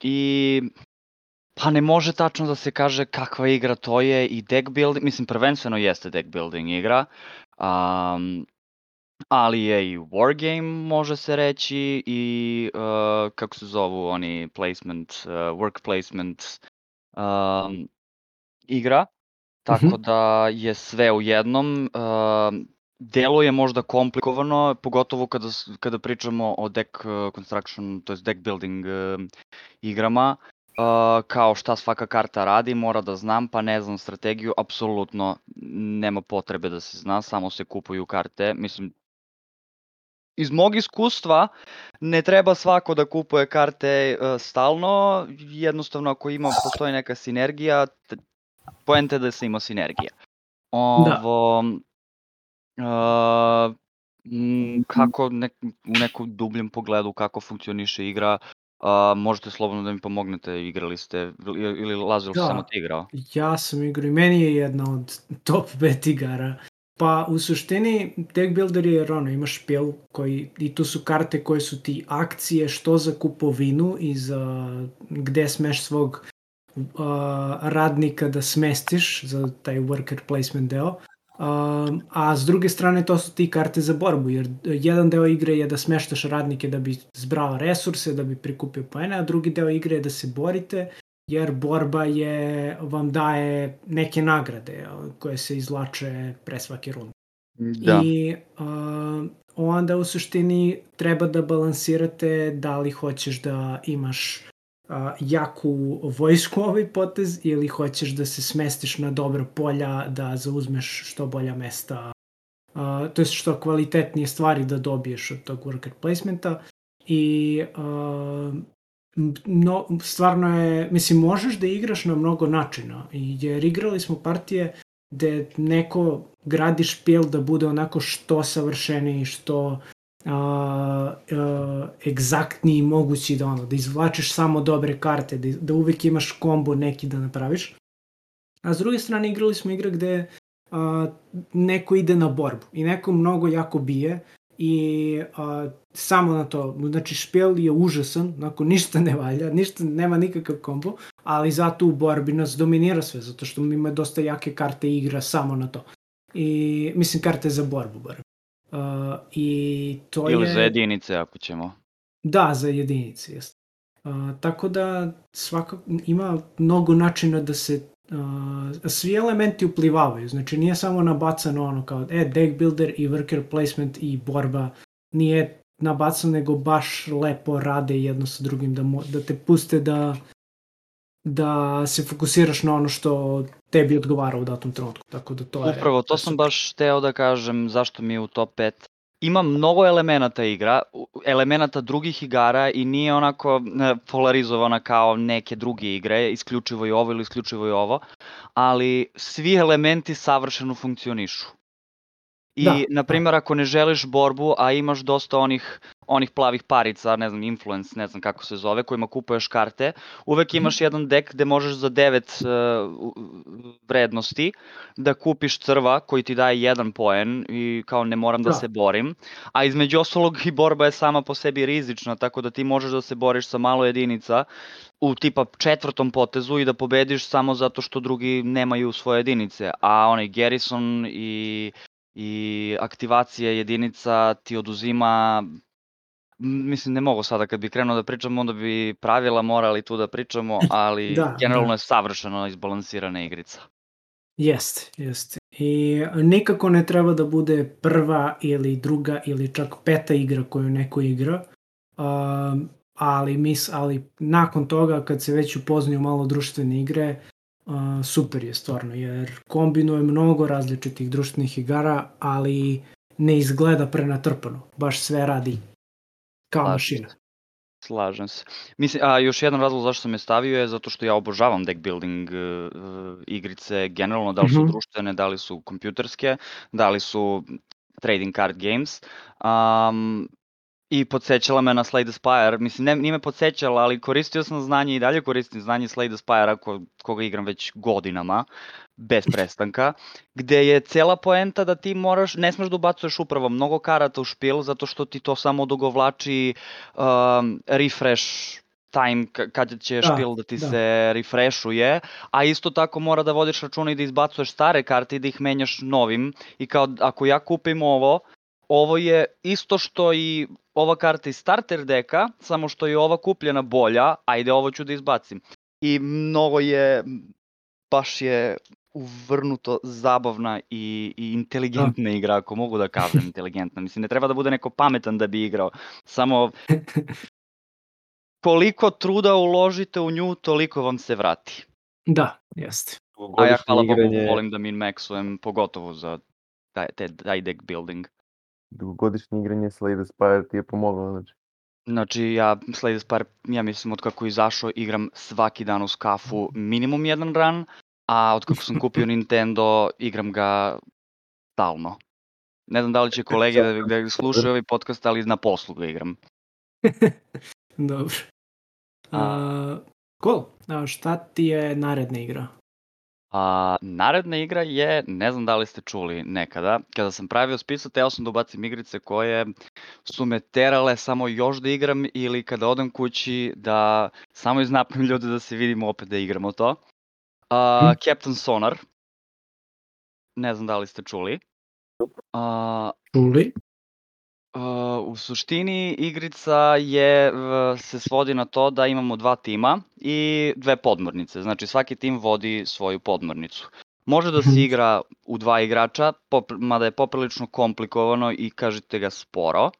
I pa ne može tačno da se kaže kakva igra to je, i deck building, mislim prvenstveno jeste deck building igra, ali je i wargame, može se reći, i kako se zovu oni placement, work placement igra, tako da je sve u jednom. Deluje možda komplikovano, pogotovo kada pričamo o deck construction, to jest deck building igrama, kao šta svaka karta radi, mora da znam, pa ne znam strategiju, apsolutno nema potrebe da se zna, samo se kupuju karte. Mislim, iz mog iskustva ne treba svako da kupuje karte stalno, jednostavno ako postoji neka sinergija, poenta je da se ima sinergija. Kako u nekom dubljem pogledu kako funkcioniše igra, možete slobodno da mi pomognete, igrali ste, ili Lazar samo ti igrao? Ja sam igrao i meni je jedna od top 5 igara. Pa u suštini deck builder je jer imaš špil i tu su karte koje su ti akcije što za kupovinu i za gde smeš svog radnika da smestiš za taj worker placement deo. A s druge strane to su ti karte za borbu, jer jedan deo igre je da smeštaš radnike da bi zbrao resurse, da bi prikupio poene, a drugi deo igre je da se borite, jer borba vam daje neke nagrade koje se izvlače pre svake runde. I onda u suštini treba da balansirate da li hoćeš da imaš jaku vojsku ovaj potez ili hoćeš da se smestiš na dobra polja, da zauzmeš što bolja mesta, to je što kvalitetnije stvari da dobiješ od tog worker placementa. i stvarno je, mislim, možeš da igraš na mnogo načina, jer igrali smo partije gde neko gradi špil da bude onako što savršeniji, što egzaktniji mogući, da izvlačiš samo dobre karte, da uvek imaš kombo neki da napraviš. A s druge strane igrali smo igre gde neko ide na borbu i neko mnogo jako bije i samo na to, znači špil je užasan, onako ništa ne valja, nema nikakav kombo, ali zato u borbi nas dominira sve, zato što ima dosta jake karte i igra samo na to. I mislim karte za borbu bar. I to ili je... za jedinice ako ćemo. Da, za jedinice, jeste. Tako da svakako ima mnogo načina da se svi elementi uplivavaju, znači nije samo nabacano ono kao deck builder i worker placement i borba, nije nabacano nego baš lepo rade jedno sa drugim, da te puste da se fokusiraš na ono što tebi odgovara u datom trenutku, tako da to je... Upravo, to sam baš hteo da kažem zašto mi je u top 5. Ima mnogo elemenata igra, elemenata drugih igara i nije onako polarizovana kao neke druge igre, isključivo i ovo ili isključivo i ovo, ali svi elementi savršeno funkcionišu. I, na primjer, ako ne želiš borbu, a imaš dosta onih plavih parica, ne znam, influence, ne znam kako se zove, kojima kupuješ karte, uvek imaš jedan dek gde možeš za 9 vrednosti da kupiš crva koji ti daje 1 poen i kao ne moram da se borim. A između ostalog i borba je sama po sebi rizična, tako da ti možeš da se boriš sa malo jedinica u tipa 4. potezu i da pobediš samo zato što drugi nemaju svoje jedinice. A onaj Garrison i aktivacija jedinica ti oduzima, mislim ne mogu sada kad bi krenuo da pričam, onda bi pravila morali tu da pričamo, ali generalno je savršeno izbalansirana igrica. Jeste. I nikako ne treba da bude prva ili druga ili čak 5. igra koju neko igra, ali nakon toga kad se već upoznaju malo društvene igre, super je stvarno, jer kombinuje mnogo različitih društvenih igara, ali ne izgleda prenatrpano, baš sve radi kao mašina. Slažem se. Mislim, a još jedan razlog zašto sam je stavio je zato što ja obožavam deck building igrice generalno, da li su društvene, da li su kompjuterske, da li su trading card games. I podsjećala me na Slay the Spire, mislim nije me podsjećala, ali koristio sam znanje i dalje koristim znanje Slay the Spire koga igram već godinama, bez prestanka, gde je cela poenta da ti ne smeš da ubacuješ upravo mnogo karata u špil, zato što ti to samo odugovlači refresh time kad će špil da ti se refreshuje, a isto tako mora da vodiš računa i da izbacuješ stare karte i da ih menjaš novim i kao ako ja kupim ovo je isto što i ova karta iz starter deka, samo što je ova kupljena bolja, ajde ovo ću da izbacim. I mnogo baš je uvrnuto zabavna i inteligentna igra, ako mogu da kažem inteligentna. Mislim, ne treba da bude neko pametan da bi igrao, samo koliko truda uložite u nju, toliko vam se vrati. Da, jeste. A ja hvala Bogu volim da min-maxujem, pogotovo za taj deck building. Dugogodišnje igranje Slay the Spire ti je pomoglo, Znači, ja Slay the Spire, ja mislim, od kako izašao, igram svaki dan uz kafu minimum 1 run, a od kako sam kupio Nintendo, igram ga stalno. Ne znam da li će kolege da slušaju ovaj podcast, ali na poslu ga igram. Dobro. Cool. Šta ti je naredna igra? Naredna igra je, ne znam da li ste čuli nekada, kada sam pravio spisak, teo sam da ubacim igrice koje su me terale samo još da igram ili kada odem kući da samo iznapim ljude da se vidimo opet da igramo to. Captain Sonar, ne znam da li ste čuli. Čuli? U suštini igrica se svodi na to da imamo 2 tima i 2 podmornice, znači svaki tim vodi svoju podmornicu. Može da se igra u 2 igrača, mada je poprilično komplikovano i kažete ga sporo.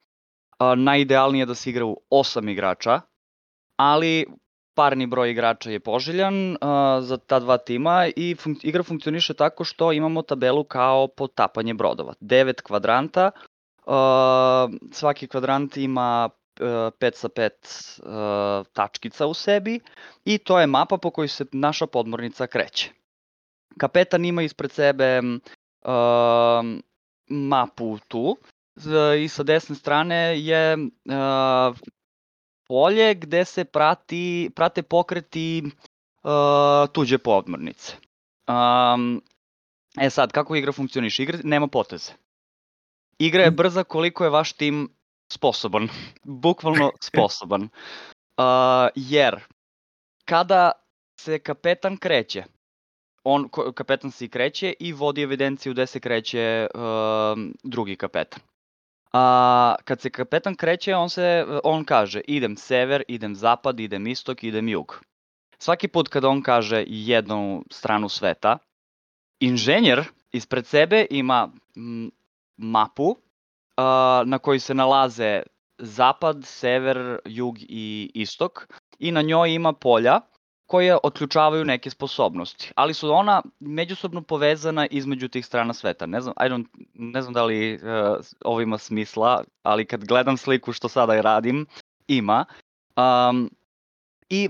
Najidealnije je da se igra u 8 igrača, ali parni broj igrača je poželjan za ta 2 tima i igra funkcioniše tako što imamo tabelu kao potapanje brodova. 9 kvadranta. Svaki kvadrant ima 5 sa 5 tačkica u sebi i to je mapa po kojoj se naša podmornica kreće. Kapetan ima ispred sebe mapu tu i sa desne strane je polje gde se prate pokreti tuđe podmornice. Sad, kako igra funkcioniše? Igra nema poteze. Igra je brza koliko je vaš tim sposoban. Bukvalno sposoban. Jer kada se kapetan kreće, kapetan se i kreće i vodi evidenciju gde se kreće drugi kapetan. Kad se kapetan kreće, on kaže idem sever, idem zapad, idem istok, idem jug. Svaki put kada on kaže jednu stranu sveta, inženjer ispred sebe ima mapu na kojoj se nalaze zapad, sever, jug i istok i na njoj ima polja koje otključavaju neke sposobnosti, ali su ona međusobno povezana između tih strana sveta. Ne znam da li ovo ima smisla, ali kad gledam sliku što sada radim, ima. I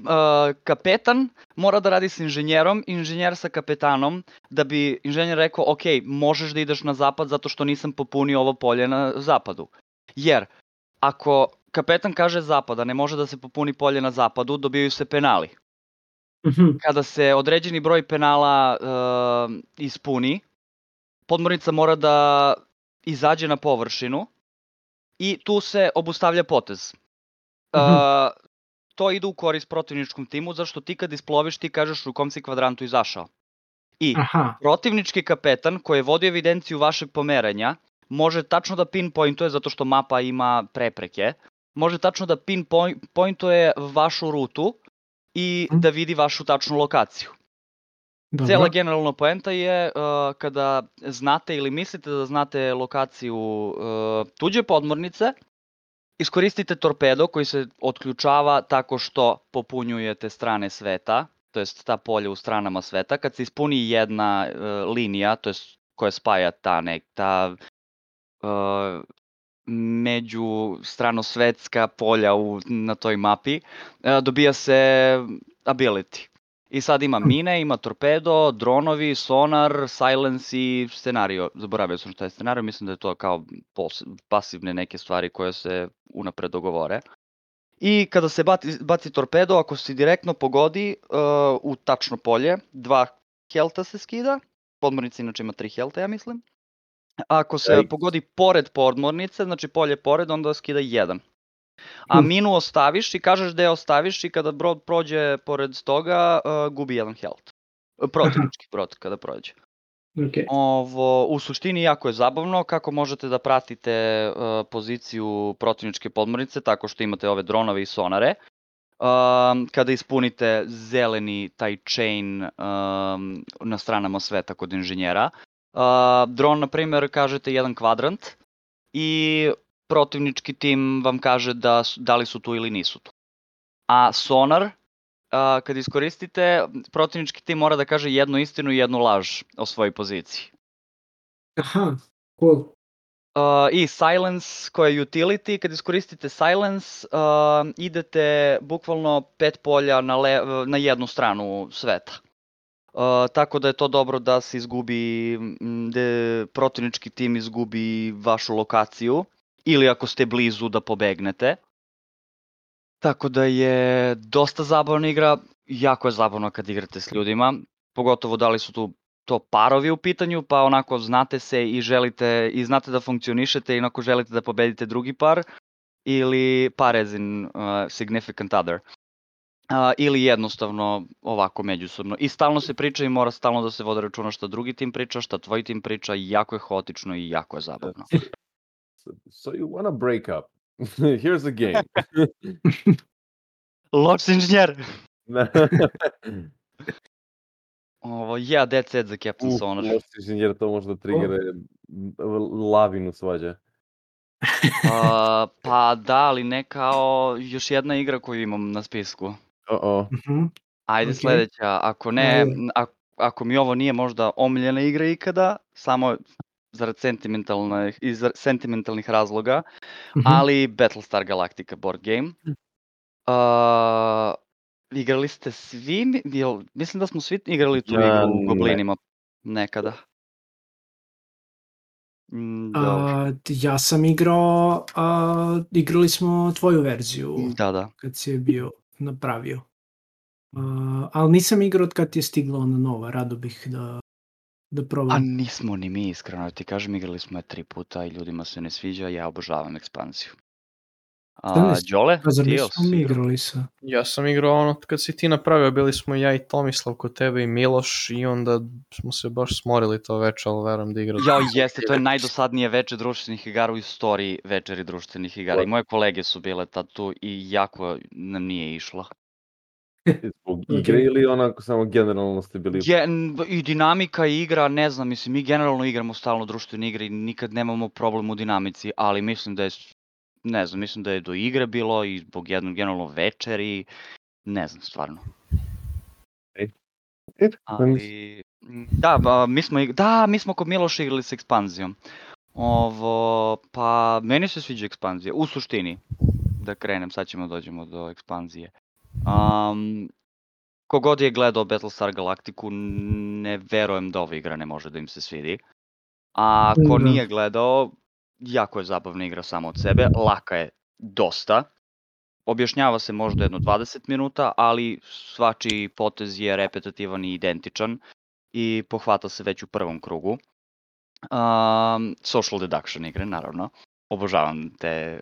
kapetan mora da radi s inženjerom, inženjer sa kapetanom, da bi inženjer rekao, ok, možeš da ideš na zapad zato što nisam popunio ovo polje na zapadu. Jer ako kapetan kaže zapad, a ne može da se popuni polje na zapadu, dobijaju se penali. Kada se određeni broj penala ispuni, podmornica mora da izađe na površinu i tu se obustavlja potez. To ide u korist protivničkom timu, zašto ti kad isploviš ti kažeš u kom si kvadrantu izašao. I protivnički kapetan koji je vodio evidenciju vašeg pomeranja može tačno da pinpointuje, zato što mapa ima prepreke, može tačno da pinpointuje vašu rutu i da vidi vašu tačnu lokaciju. Dobro. Cijela generalna poenta je kada znate ili mislite da znate lokaciju tuđe podmornice, iskoristite torpedo koji se otključava tako što popunjujete strane sveta, to jest ta polja u stranama sveta. Kad se ispuni jedna linija, to jest koja spaja ta međustranosvetska polja na toj mapi, dobija se ability. I sad ima mine, ima torpedo, dronovi, sonar, silence i scenario. Zaboravio sam šta je scenario, mislim da je to kao pasivne neke stvari koje se unapred dogovore. I kada se baci torpedo, ako se direktno pogodi u tačno polje, 2 helta se skida, podmornica inače ima 3 helta, ja mislim. Ako se pogodi pored podmornice, znači polje pored, onda skida 1. A minu ostaviš i kažeš da je ostaviš i kada brod prođe pored toga, gubi 1 health. Protivnički brod kada prođe. U suštini jako je zabavno kako možete da pratite poziciju protivničke podmornice tako što imate ove dronove i sonare. Kada ispunite zeleni taj chain na stranama sveta kod inženjera, dron, na primjer, kažete 1 kvadrant i protivnički tim vam kaže da li su tu ili nisu tu. A sonar, kad iskoristite, protivnički tim mora da kaže jednu istinu i jednu laž o svojoj poziciji. Aha, cool. I silence koja je utility, kad iskoristite silence, idete bukvalno 5 polja na jednu stranu sveta. Tako da je to dobro da se izgubi, da protivnički tim izgubi vašu lokaciju ili ako ste blizu da pobegnete. Tako da je dosta zabavna igra, jako je zabavno kad igrate s ljudima, pogotovo da li su tu to parovi u pitanju, pa onako znate se i želite i znate da funkcionišete i onako želite da pobedite drugi par, ili par as in significant other. Ili jednostavno ovako međusobno. I stalno se priča i mora stalno da se vode računa šta drugi tim priča, šta tvoj tim priča, i jako je haotično i jako je zabavno. So you wanna break up. Here's a game. Loš inženjer! That's it za Captain Sonar. Loš inženjer, to možda triggere lavinu svađa. Pa da, ali ne kao još jedna igra koju imam na spisku. Ajde sledeća, ako ne, ako mi ovo nije možda omiljena igra ikada, samo zarad sentimentalnih razloga, ali Battlestar Galactica board game. Igrali ste svi, mislim da smo svi igrali tu igru u Goblinima nekada. Ja sam igrali smo tvoju verziju kad si je bio napravio. Ali nisam igrao od kad je stigla ona nova, rado bih da probam. A nismo ni mi, iskreno ti kažem, igrali smo je 3 puta i ljudima se ne sviđa, ja obožavam ekspanziju. Đole, ti je mi igrali sa? Ja sam igrao ono kad si ti napravio, bili smo ja i Tomislav kod tebe i Miloš i onda smo se baš smorili to večer, ali verujem da igrati. Jao, jeste, to je najdosadnije večer društvenih igara u istoriji večeri društvenih igara. I moje kolege su bile tad tu i jako nam nije išlo. Zbog igre ili onako samo generalno ste bili... I dinamika i igra, ne znam, mislim, mi generalno igramo stalno društvene igre i nikad nemamo problem u dinamici, ali mislim da je, ne znam, mislim da je do igre bilo i zbog jednog generalno večeri, ne znam, stvarno. Ali, mi smo kod Miloša igrali s ekspanzijom. Pa, meni se sviđa ekspanzija, u suštini, da krenem, sad ćemo dođemo do ekspanzije. Kogod je gledao Battlestar Galactiku, ne verujem da ova igra ne može da im se svidi. A ko nije gledao, jako je zabavna igra samo od sebe, laka je dosta. Objašnjava se možda jedno 20 minuta, ali svačiji potez je repetitivan i identičan i pohvata se već u prvom krugu. Social deduction igre, naravno. Obožavam te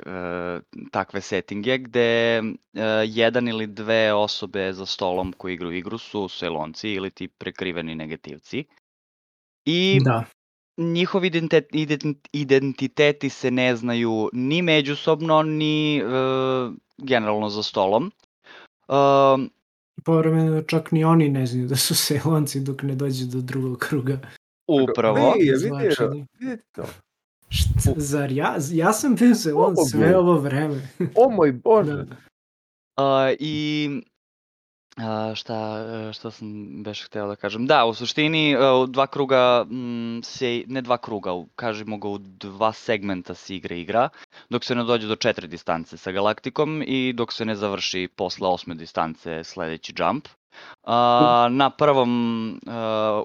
takve settinge gde jedan ili dve osobe za stolom koji igraju igru su Cylonci ili ti prekriveni negativci. I njihovi identiteti se ne znaju ni međusobno, ni generalno za stolom. Povremeno čak ni oni ne znaju da su Cylonci dok ne dođe do drugog kruga. Upravo. Vidite to. Zar ja sam bio Cylon sve ovo vreme. O moj Bože. I šta sam beš hteo da kažem? Da, u suštini dva kruga ne dva kruga, kažemo ga u dva segmenta se igra, dok se ne dođe do 4 distance sa Galaktikom i dok se ne završi posle 8. distance sledeći jump.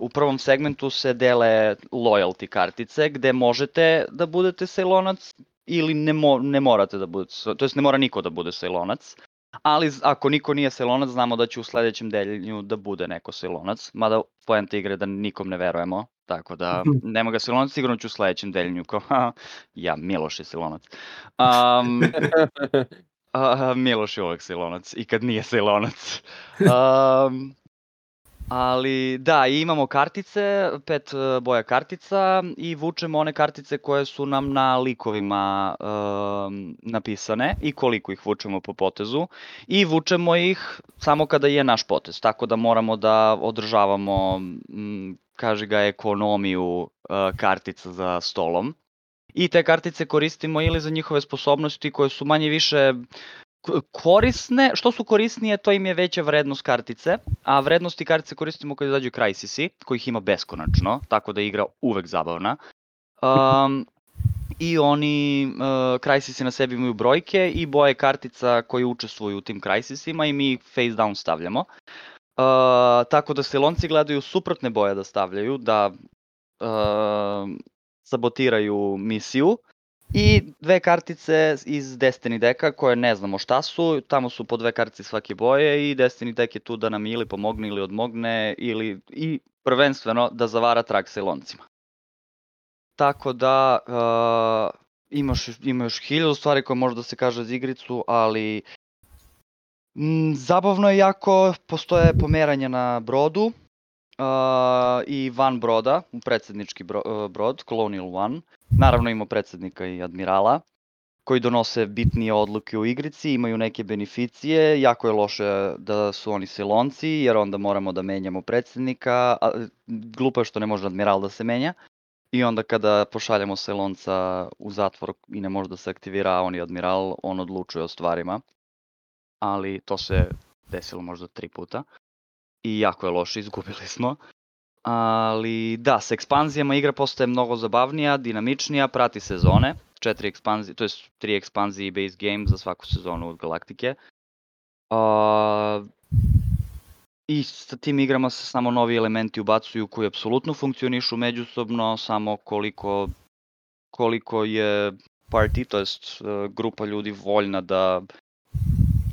U prvom segmentu se dele loyalty kartice gde možete da budete Cylonac ili ne morate da budete, to jest ne mora niko da bude Cylonac, ali ako niko nije Cylonac znamo da će u sledećem deljenju da bude neko Cylonac, mada poenta igre da nikom ne verujemo, tako da nema ga Cylonac, sigurno ću u sledećem deljenju kao ja, Miloš je Cylonac. Miloš je uvek Cylonac i kad nije Cylonac. Ali da, imamo kartice, 5 boja kartica i vučemo one kartice koje su nam na likovima napisane i koliko ih vučemo po potezu i vučemo ih samo kada je naš potez, tako da moramo da održavamo, kaži ga, ekonomiju kartica za stolom. I te kartice koristimo ili za njihove sposobnosti koje su manje više korisne, što su korisnije to im je veća vrednost kartice, a vrednosti kartice koristimo kad izađu Crisisi, kojih ima beskonačno, tako da je igra uvek zabavna. I oni, Crisisi na sebi imaju brojke i boje kartica koji učestvuju u tim Crisisima i mi ih face down stavljamo. Tako da Cylonci gledaju suprotne boje da stavljaju, da sabotiraju misiju. I 2 kartice iz Destiny deka koje ne znamo šta su, tamo su po 2 kartice svake boje i Destiny dek je tu da nam ili pomogne ili odmogne i prvenstveno da zavara trag Cyloncima. Tako da ima još 1000 stvari koje može da se kaže za igricu, ali zabavno je jako, postoje pomeranja na brodu i van broda, predsednički brod, Colonial One. Naravno ima predsednika i admirala koji donose bitnije odluke u igrici, imaju neke beneficije, jako je loše da su oni Cylonci jer onda moramo da menjamo predsednika, glupo je što ne može admiral da se menja i onda kada pošaljemo Cylonca u zatvor i ne može da se aktivira, a on je admiral, on odlučuje o stvarima, ali to se desilo možda 3 puta i jako je loše, izgubili smo. Ali da, sa ekspanzijama igra postaje mnogo zabavnija, dinamičnija, prati sezone, 4 ekspanzije, to jest 3 ekspanzije i base game za svaku sezonu od Galaktike. I sa tim igrama se samo novi elementi ubacuju koji apsolutno funkcionišu međusobno, samo koliko je party, to jest grupa ljudi voljna da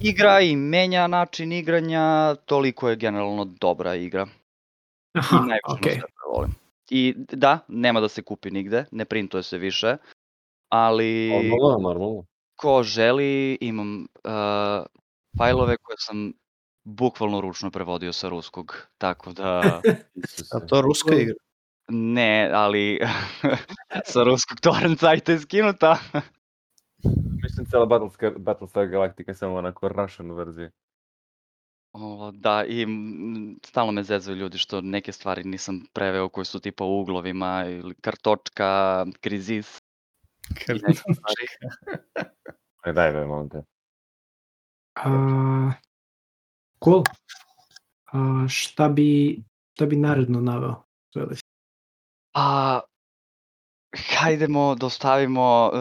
igra i menja način igranja, toliko je generalno dobra igra. Aha, I najviše okej. na svetu volim. I da, nema da se kupi nigde, ne printuje se više, ali Normalno. ko želi, imam fajlove koje sam bukvalno ručno prevodio sa ruskog, tako da A to ruska igra? ne, ali sa ruskog torrent sajta je skinuta. Mislim cijela Battlestar Galactica je samo onako Russian verzija. Da, i stalno me zezaju ljudi što neke stvari nisam preveo koje su tipa u uglovima ili kartočka, krizis. Daj be, molim te. Cool. Šta bi naredno naveo? Hajdemo da ostavimo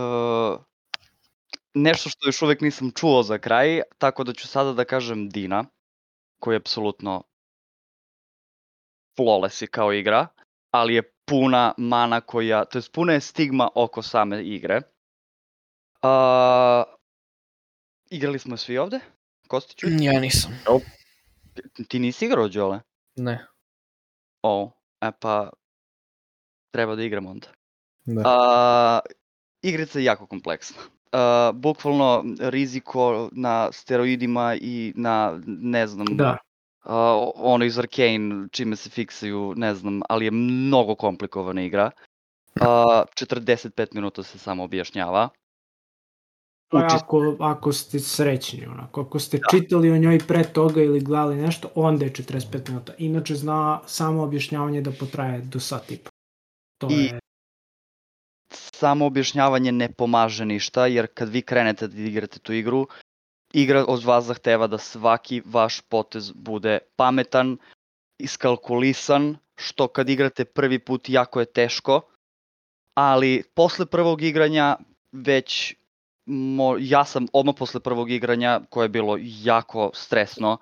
nešto što još uvek nisam čuo za kraj, tako da ću sada da kažem Dina, koji je apsolutno flawless je kao igra, ali je puna mana koja, to jest puna je stigma oko same igre. Igrali smo svi ovde? Kostiću? Ja nisam. Ti nisi igrao, Đole? Ne. Pa treba da igram onda. Da. Igrica je jako kompleksna. Bukvalno riziko na steroidima i na, ne znam, Da. ono iz Arcane, čime se fiksaju, ne znam, ali je mnogo komplikovana igra. 45 minuta se samo objašnjava. Ako ste srećni, onako, ako ste čitali o njoj pre toga ili gledali nešto, onda je 45 minuta. Inače zna samo objašnjavanje da potraje do sat i po. Samo objašnjavanje ne pomaže ništa, jer kad vi krenete da igrate tu igru, igra od vas zahteva da svaki vaš potez bude pametan, iskalkulisan, što kad igrate prvi put jako je teško, ali posle prvog igranja već ja sam odmah posle prvog igranja, koje je bilo jako stresno,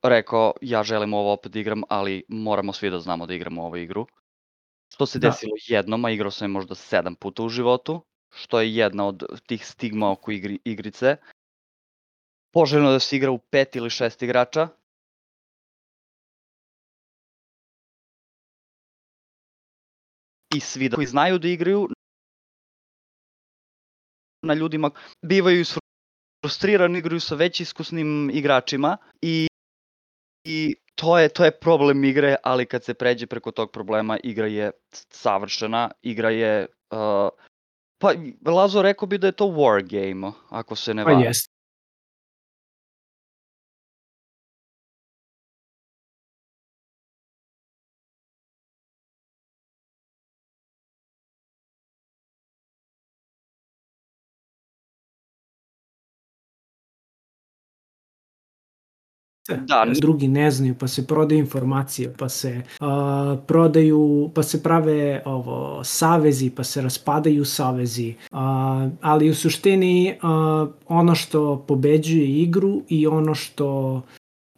rekao ja želim ovo opet da igram, ali moramo svi da znamo da igramo ovu igru. Što se desilo jednom, a igrao sam je možda 7 puta u životu, što je jedna od tih stigma oko igrice. Poželjno da se igra u 5 ili 6 igrača. I svi koji znaju da igraju, na ljudima bivaju frustrirani, igraju sa već iskusnim igračima i to je problem igre, ali kad se pređe preko tog problema, igra je savršena, igra je, pa Lazo rekao bi da je to war game, ako se ne varam. Pa jest. Da, drugi ne znaju, pa se prodaju informacije, pa se prodaju, pa se prave savezi, pa se raspadaju savezi, ali u suštini ono što pobeđuje igru i ono što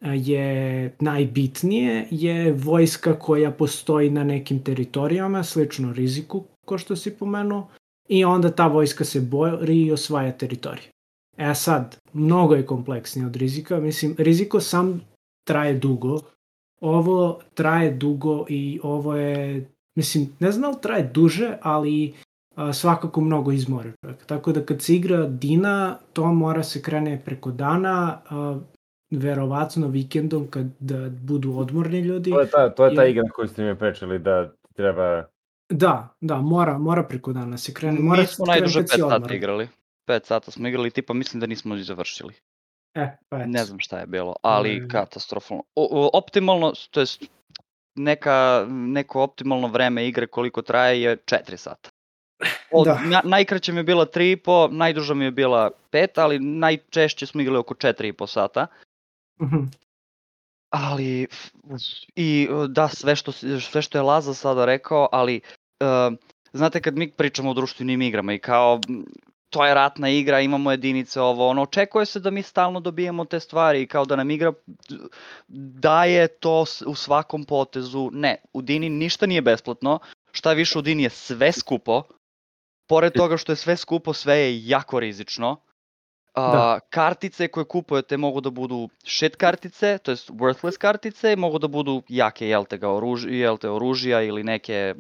je najbitnije je vojska koja postoji na nekim teritorijama, slično riziku, ko što si pomenuo, i onda ta vojska se bori i osvaja teritoriju. Sad, mnogo je kompleksnije od rizika. Mislim, riziko sam traje dugo. Ovo traje dugo i ovo je, mislim, ne znam da li traje duže, ali svakako mnogo izmori čovjek. Tako da kad se igra Dina, to mora se krene preko dana, verovatno vikendom kad budu odmorni ljudi. To je ta igra koju ste mi pričali da treba... Da, mora preko dana se krene. Mi smo najduže 5 sata igrali. 5 sata smo igrali, tipa mislim da nismo ni završili. Ne znam šta je bilo, ali katastrofalno. Optimalno, to jest neko optimalno vreme igre koliko traje je 4 sata. Najkraća mi je bila 3,5, najduža mi je bila 5, ali najčešće smo igrali oko 4,5 sata. ali i da, sve što je Laza sada rekao, ali znate kad mi pričamo o društvenim igrama i kao to je ratna igra, imamo jedinice ovo, ono, očekuje se da mi stalno dobijemo te stvari i kao da nam igra daje to u svakom potezu. Ne, u Dini ništa nije besplatno, šta više u Dini je sve skupo, pored toga što je sve skupo, sve je jako rizično. Kartice koje kupujete mogu da budu shit kartice, to jest worthless kartice, mogu da budu jake, oružja ili neke,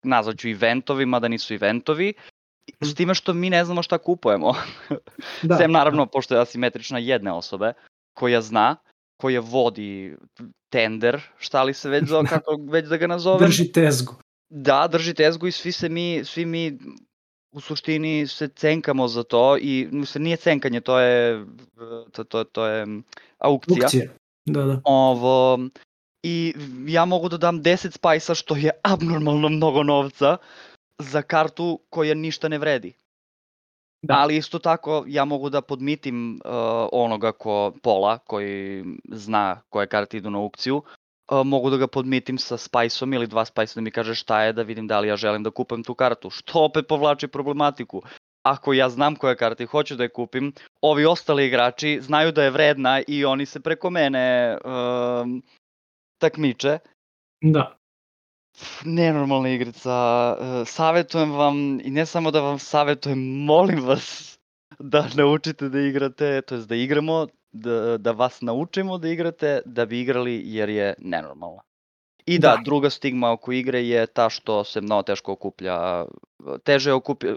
nazvaću eventovima, da nisu eventovi, s time što mi ne znamo šta kupujemo. Sem naravno, pošto je asimetrična jedne osobe, koja zna, koja vodi tender, šta li se već zove, kako već da ga nazovem. Drži tezgu. Da, drži tezgu i svi mi u suštini se cenkamo za to i nije cenkanje, to je aukcija. Da. I ja mogu da dam 10 spajsa, što je abnormalno mnogo novca, za kartu koja ništa ne vredi. Da. Ali isto tako ja mogu da podmitim onoga Pola koji zna koje karte idu na aukciju, mogu da ga podmitim sa spajsom ili 2 spajsa da mi kaže šta je, da vidim da li ja želim da kupim tu kartu, što opet povlači problematiku. Ako ja znam koje karte i hoću da je kupim, ovi ostali igrači znaju da je vredna i oni se preko mene takmiče. Da. Nenormalna igrica, savjetujem vam i ne samo da vam savjetujem, molim vas da naučite da igrate, to jest da igramo, da vas naučimo da igrate, da bi igrali jer je nenormalna. I da, druga stigma oko igre je ta što se mnogo teško okuplja,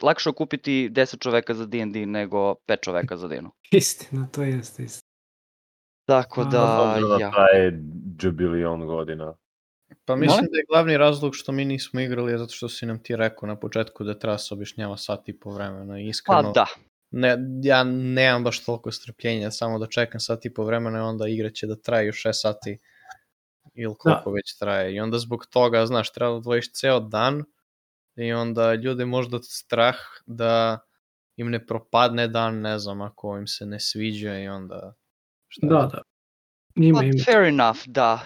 lakše okupiti 10 čoveka za D&D nego 5 čoveka za Dinu. Istina, to jeste istina. Tako da, traje džubilion godina. Pa mislim da je glavni razlog što mi nismo igrali je zato što si nam ti rekao na početku da treba se objašnjava sat i po vremena. Iskreno, pa da. Ja nemam baš toliko strpljenja, samo da čekam sat i po vremena i onda igra će da traje još 6 sati ili koliko već traje. I onda zbog toga, znaš, treba da odvojiš ceo dan i onda ljude možda strah da im ne propadne dan, ne znam, ako im se ne sviđa i onda... Da. Ima. Fair enough, da.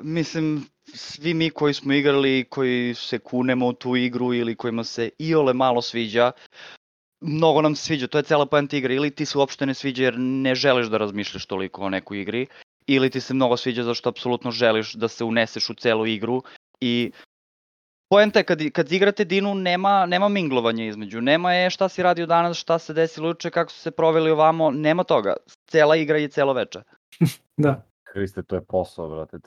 Mislim, svi mi koji smo igrali, koji se kunemo u tu igru ili kojima se iole malo sviđa, mnogo nam se sviđa, to je cela poenta igre. Ili ti se uopšte ne sviđa jer ne želiš da razmišljaš toliko o nekoj igri, ili ti se mnogo sviđa zašto apsolutno želiš da se uneseš u celu igru. I poenta je kad igrate Dinu nema minglovanja između, nema šta si radio danas, šta se desilo juče, kako su se proveli ovamo, nema toga. Cela igra je celo veče. Da. Kriste, to je posao, brate.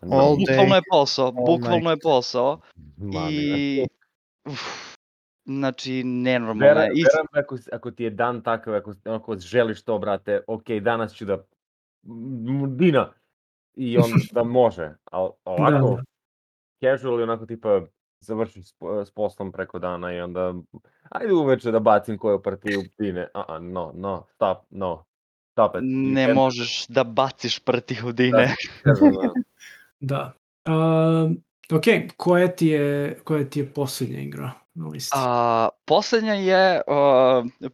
Bukvalno je posao. I... Znači, nenormalno je. Verujem ako ti je dan takav, ako želiš to, brate, ok, danas ću da... Dina! I on da može. Ali ovako, casual, onako tipa završiš s poslom preko dana i onda ajde uveče da bacim koju partiju Dine. Stop it. Ne možeš da baciš partiju Dine. Da. Ok, koja ti je posljednja igra na listi? Posljednja je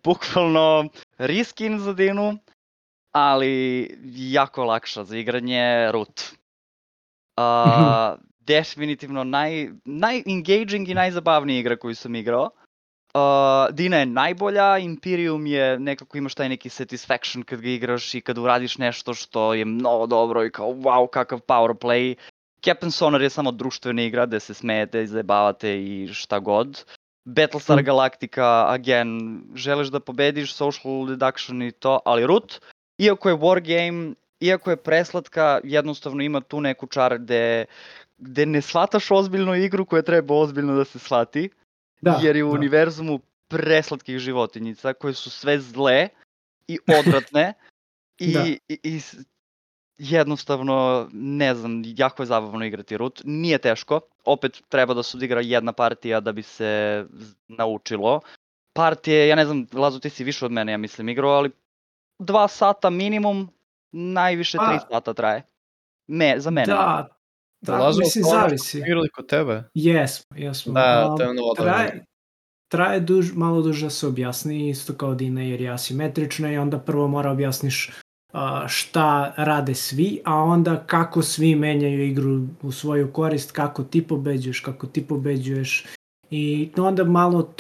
bukvalno reskin za Dinu, ali jako lakša za igranje, Root. Definitivno naj-engaging i najzabavnija igra koju sam igrao. Dina je najbolja, Imperium je nekako imaš taj neki satisfaction kad ga igraš i kad uradiš nešto što je mnogo dobro i kao wow, kakav power play. Captain Sonar je samo društvena igra gde se smejete i zajebavate i šta god. Battlestar Galactica, again, želiš da pobediš, social deduction i to, ali Root, iako je wargame, iako je preslatka, jednostavno ima tu neku čar gde ne shvataš ozbiljnu igru koja treba ozbiljno da se shvati, jer je u univerzumu preslatkih životinjica koje su sve zle i odvratne i jednostavno, ne znam, jako je zabavno igrati Root, nije teško, opet treba da se odigra jedna partija da bi se naučilo. Partije, ja ne znam, Lazo, ti si više od mene, ja mislim, igrao, ali 2 sata minimum, najviše 3 sata traje. Za mene. Da, mislim, zavisi. Igrali kod tebe? Jesmo. Da, to je ono traje malo duže da se objasni, isto kao Dina, jer je asimetrična i onda prvo mora objasniš šta rade svi, a onda kako svi menjaju igru u svoju korist, kako ti pobeđuješ i onda malo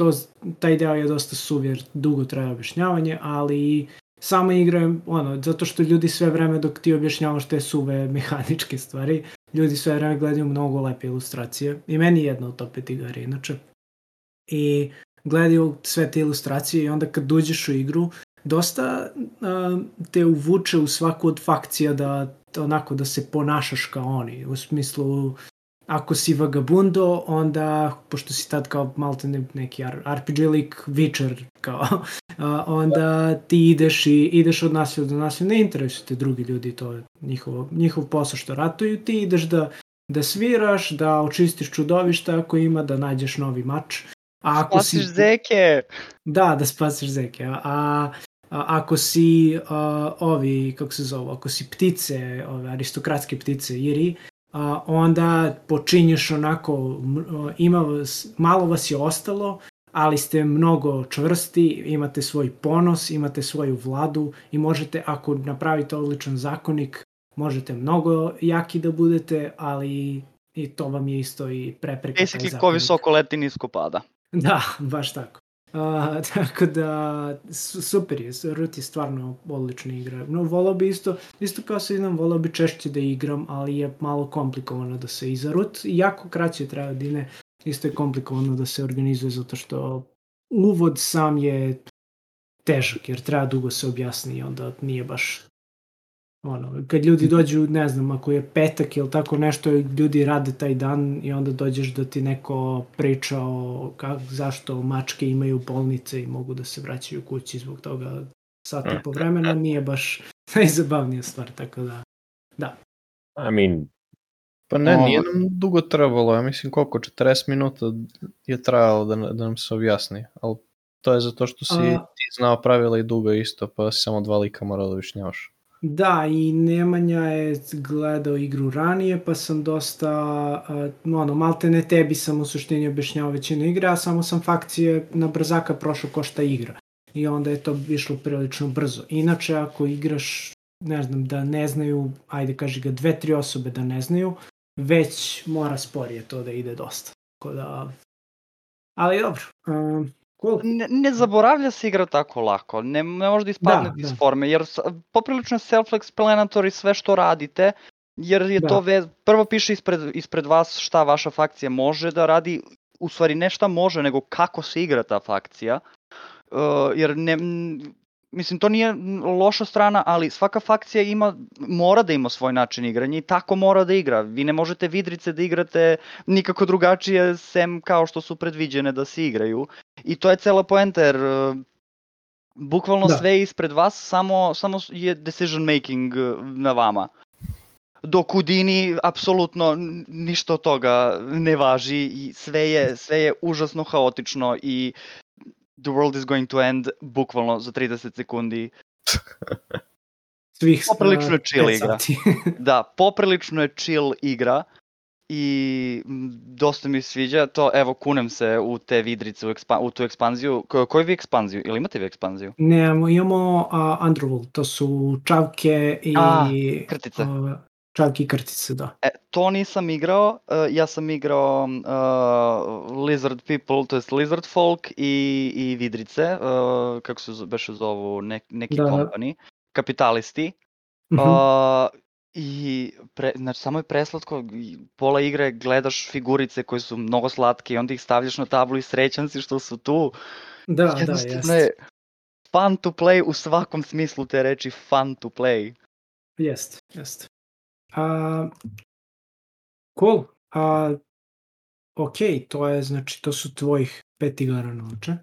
taj deo je dosta suv jer dugo traje objašnjavanje, ali sama igra je zato što ljudi sve vreme dok ti objašnjavaš te suve mehaničke stvari, ljudi sve vreme gledaju mnogo lepe ilustracije i meni je jedna od top 5 igara inače i gledaju sve te ilustracije i onda kad uđeš u igru dosta te uvuče u svaku od fakcija da se ponašaš kao oni. U smislu, ako si vagabundo, onda, pošto si tad kao malte neki RPG lik, Witcher, kao, onda ti ideš od nasilja do nasilja, ne interesuju te drugi ljudi, to je njihov posao što ratuju, ti ideš da sviraš, da očistiš čudovišta ako ima, da nađeš novi mač. Spasiš zeke! Da spasiš zeke. Ako si ako si ptice, aristokratske ptice, iri, onda počinješ onako, malo vas je ostalo, ali ste mnogo čvrsti, imate svoj ponos, imate svoju vladu i možete, ako napravite odličan zakonik, možete mnogo jaki da budete, ali i to vam je isto i prepreka taj zakonik. Basically, ko visoko leti, nisko pada. Da, baš tako. Tako da, super je, Root je stvarno odlična igra. No, volao bi isto kao se znam, volao bi češće da igram, ali je malo komplikovano da se iza Root, jako kraće traje godine, isto je komplikovano da se organizuje, zato što uvod sam je težak, jer treba dugo se objasni i onda nije baš kad ljudi dođu, ne znam, ako je petak ili tako nešto, ljudi rade taj dan i onda dođeš da ti neko priča zašto mačke imaju bolnice i mogu da se vraćaju kući zbog toga sat i po vremena, nije baš najzabavnija stvar, tako da. I mean... Pa ne, nije nam dugo trebalo, ja mislim koliko, 40 minuta je trajalo da nam se objasni, ali to je zato što si ti znao pravila i dugo isto, pa si samo 2 lika morao da objašnjavaš. Da, i Nemanja je gledao igru ranije, pa sam dosta, malte ne tebi sam u suštini objašnjavao većinu igre, a samo sam fakcije na brzaka prošao ko šta igra. I onda je to išlo prilično brzo. Inače, ako igraš, ne znam, da ne znaju, ajde kaži ga 2-3 osobe da ne znaju, već mora sporije to da ide dosta. Tako da, ali dobro. Cool. Ne zaboravlja se igra tako lako, ne može da ispadne iz forme, jer poprilično je self-explanatory sve što radite, jer je to prvo piše ispred vas šta vaša fakcija može da radi, u stvari ne šta može, nego kako se igra ta fakcija, jer mislim, to nije loša strana, ali svaka fakcija mora da ima svoj način igranja i tako mora da igra. Vi ne možete vidrice da igrate nikako drugačije, sem kao što su predviđene da se igraju. I to je cela poenta, jer bukvalno sve je ispred vas, samo je decision making na vama. Dok u Dini apsolutno ništa od toga ne važi i sve je užasno haotično i the world is going to end bukvalno za 30 sekundi. Poprilično je chill igra. Da, poprilično je chill igra i dosta mi sviđa to, evo kunem se u te vidrice, u tu ekspanziju. Koju vi ekspanziju? Ili imate vi ekspanziju? Ne, imamo Underworld, to su čavke i krtice. Čavke i krtice, da. To nisam igrao, ja sam igrao Lizard People, to jest Lizard Folk i vidrice, kako se beše zovu, neki company, kapitalisti. I znači samo je preslatko, pola igre gledaš figurice koje su mnogo slatke i onda ih stavljaš na tablu i srećan si što su tu. Jednostavno je fun to play u svakom smislu te reči, fun to play. Jest. Cool. Ok, to su tvojih 5 igara noće.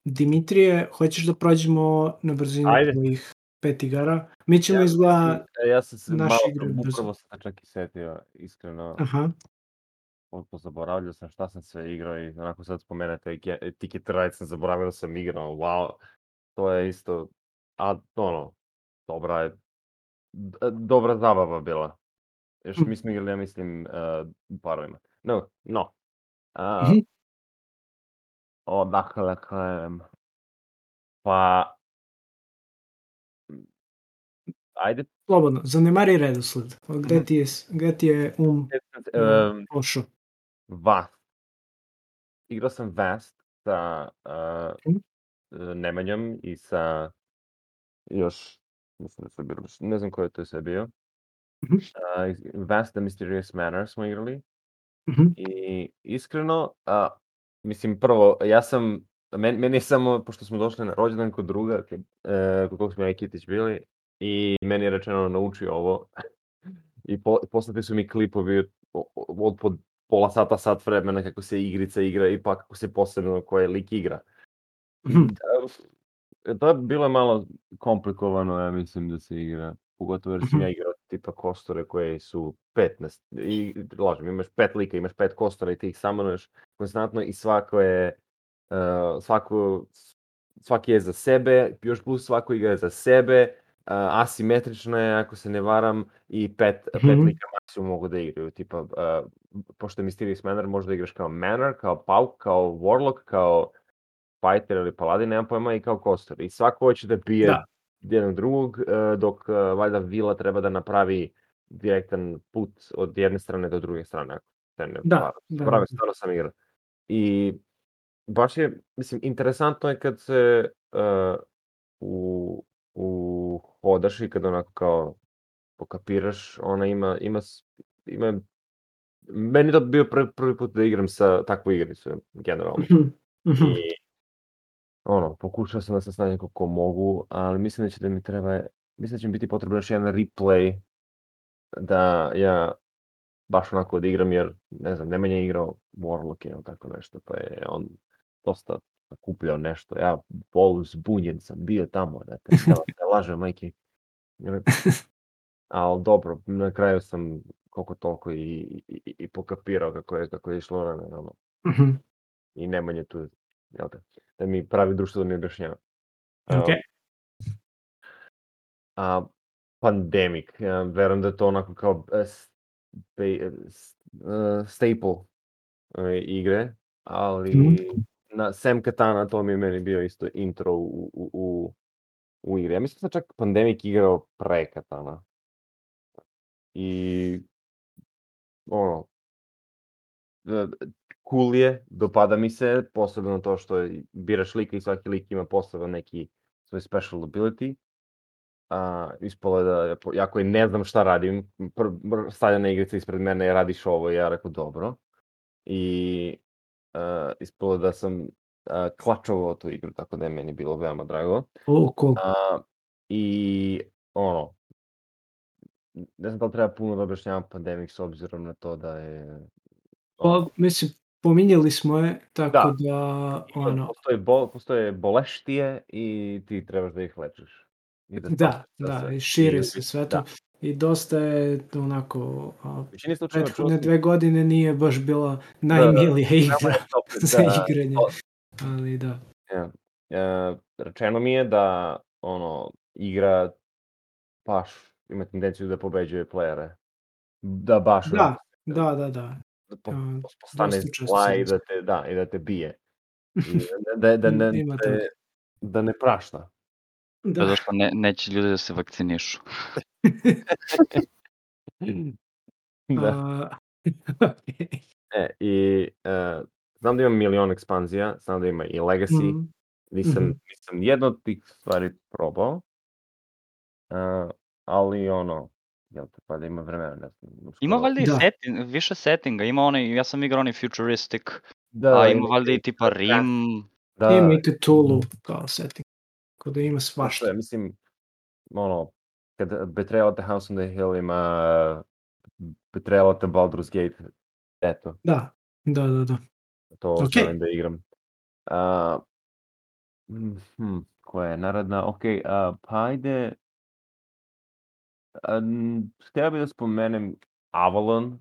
Dimitrije, hoćeš da prođemo na brzinu tvojih 5 igara? Mi ćemo izgleda ja sam se naše igre brzo. Upravo sam čak i setio, iskreno. Zaboravljao sam šta sam sve igrao i onako sad spomenete Ticket Ride sam zaboravio da sam igrao. Wow, to je isto, dobra zabava bila. Još mi smo igrali, ja mislim, u parovima. No. Odakle krenem? Pa, Ajde, Slobodno, zanemari redosled. Gde ti je pošao? Vast. Igrao sam Vast sa Mhm. Nemanjom i sa još, mislim da su bili, ne znam ko je to sve bio. Mhm. Vast the Mysterious Manor smo igrali. Mhm. I iskreno, mislim, prvo, meni je samo, pošto smo došli na rođendan kod druga, kod kog smo ja i Kitić bili, i meni je rečeno nauči ovo. I poslati su mi klipovi od po pola sata, sat vremena kako se igrica igra i pa kako se posebno koje lik igra. I to je bilo malo komplikovano, ja mislim, da se igra. Pogotovo jer sam ja igrao tipa kostore koje su 15. I lažem, imaš 5 lika, imaš 5 kostora i ti ih samanuješ konstantno i svaki je za sebe, još plus svako igra je za sebe, asimetrično je, ako se ne varam, i pet lika maksimum mogu da igraju. Tipa, pošto je Mysterious Manor, možda igraš kao Manor, kao Pauk, kao Warlock, kao Fighter ili Paladin, nemam pojma, i kao kostor. I svako hoće da bije jednog drugog, dok valjda vila treba da napravi direktan put od jedne strane do druge strane. Ako se ne pravi, stvarno sam igrao. I baš je, mislim, interesantno je kad se hodaš i kad onako kao pokapiraš, ona ima meni to bio prvi put da igram sa takvu igricu, generalno. I pokušao sam da se snađem kako mogu, ali mislim da će mi biti potrebno još jedan replay da ja baš onako odigram, jer, ne znam, Nemanja je igrao Warlock ili tako nešto, pa je on dosta nakupljao nešto. Ja zbunjen sam bio tamo, da te lažem, majke. Ali dobro, na kraju sam koliko toliko i pokapirao kako je išlo vremena. I Nemanja tu, da mi pravi društvo da mi objašnjava. Pandemic, verujem da je to onako kao staple igre, ali sem Katana to mi je meni bio isto intro u igre. Ja mislim da čak Pandemic igrao pre Katana. I cool je, dopada mi se, posebno to što biraš lika i svaki lik ima poseban neki svoj special ability. Ispalo je da, ja koji ne znam šta radim, stavljena igrica ispred mene, radiš ovo, i ja rekao dobro. I ispalo da sam klačovao tu igru, tako da je meni bilo veoma drago. Cool. I ne znam da li treba puno da objašnjavam Pandemic s obzirom na to da je... Mislim, pominjali smo je, tako da... Postoje boleštije i ti trebaš da ih lečiš. Da, i širi se sve to. I dosta je onako... prethodne 2 godine nije baš bila najmilija igra za igranje. Ali da. Rečeno mi je da igra baš ima tendenciju da pobeđuje playere. Da baš... Da. Postane zla i da te bije. Da ne prašta. To je zašto neće ljudi da se vakcinišu. I znam da ima milion ekspanzija, znam da ima i Legacy. Nisam jedno od tih stvari probao. Ali pa da ima vremena, ne znam. Ima valjda i više settinga, ima onaj, ja sam igrao onaj futuristic, a ima valjda i tipa Rim. Ima i Cthulhu kao setting, kao da ima svašta. Mislim, kad Betrayal at the House on the Hill ima Betrayal at the Baldur's Gate, eto. Da. To želim da igram. Koja je naredna? Pa ajde... Htio bih da spomenem Avalon,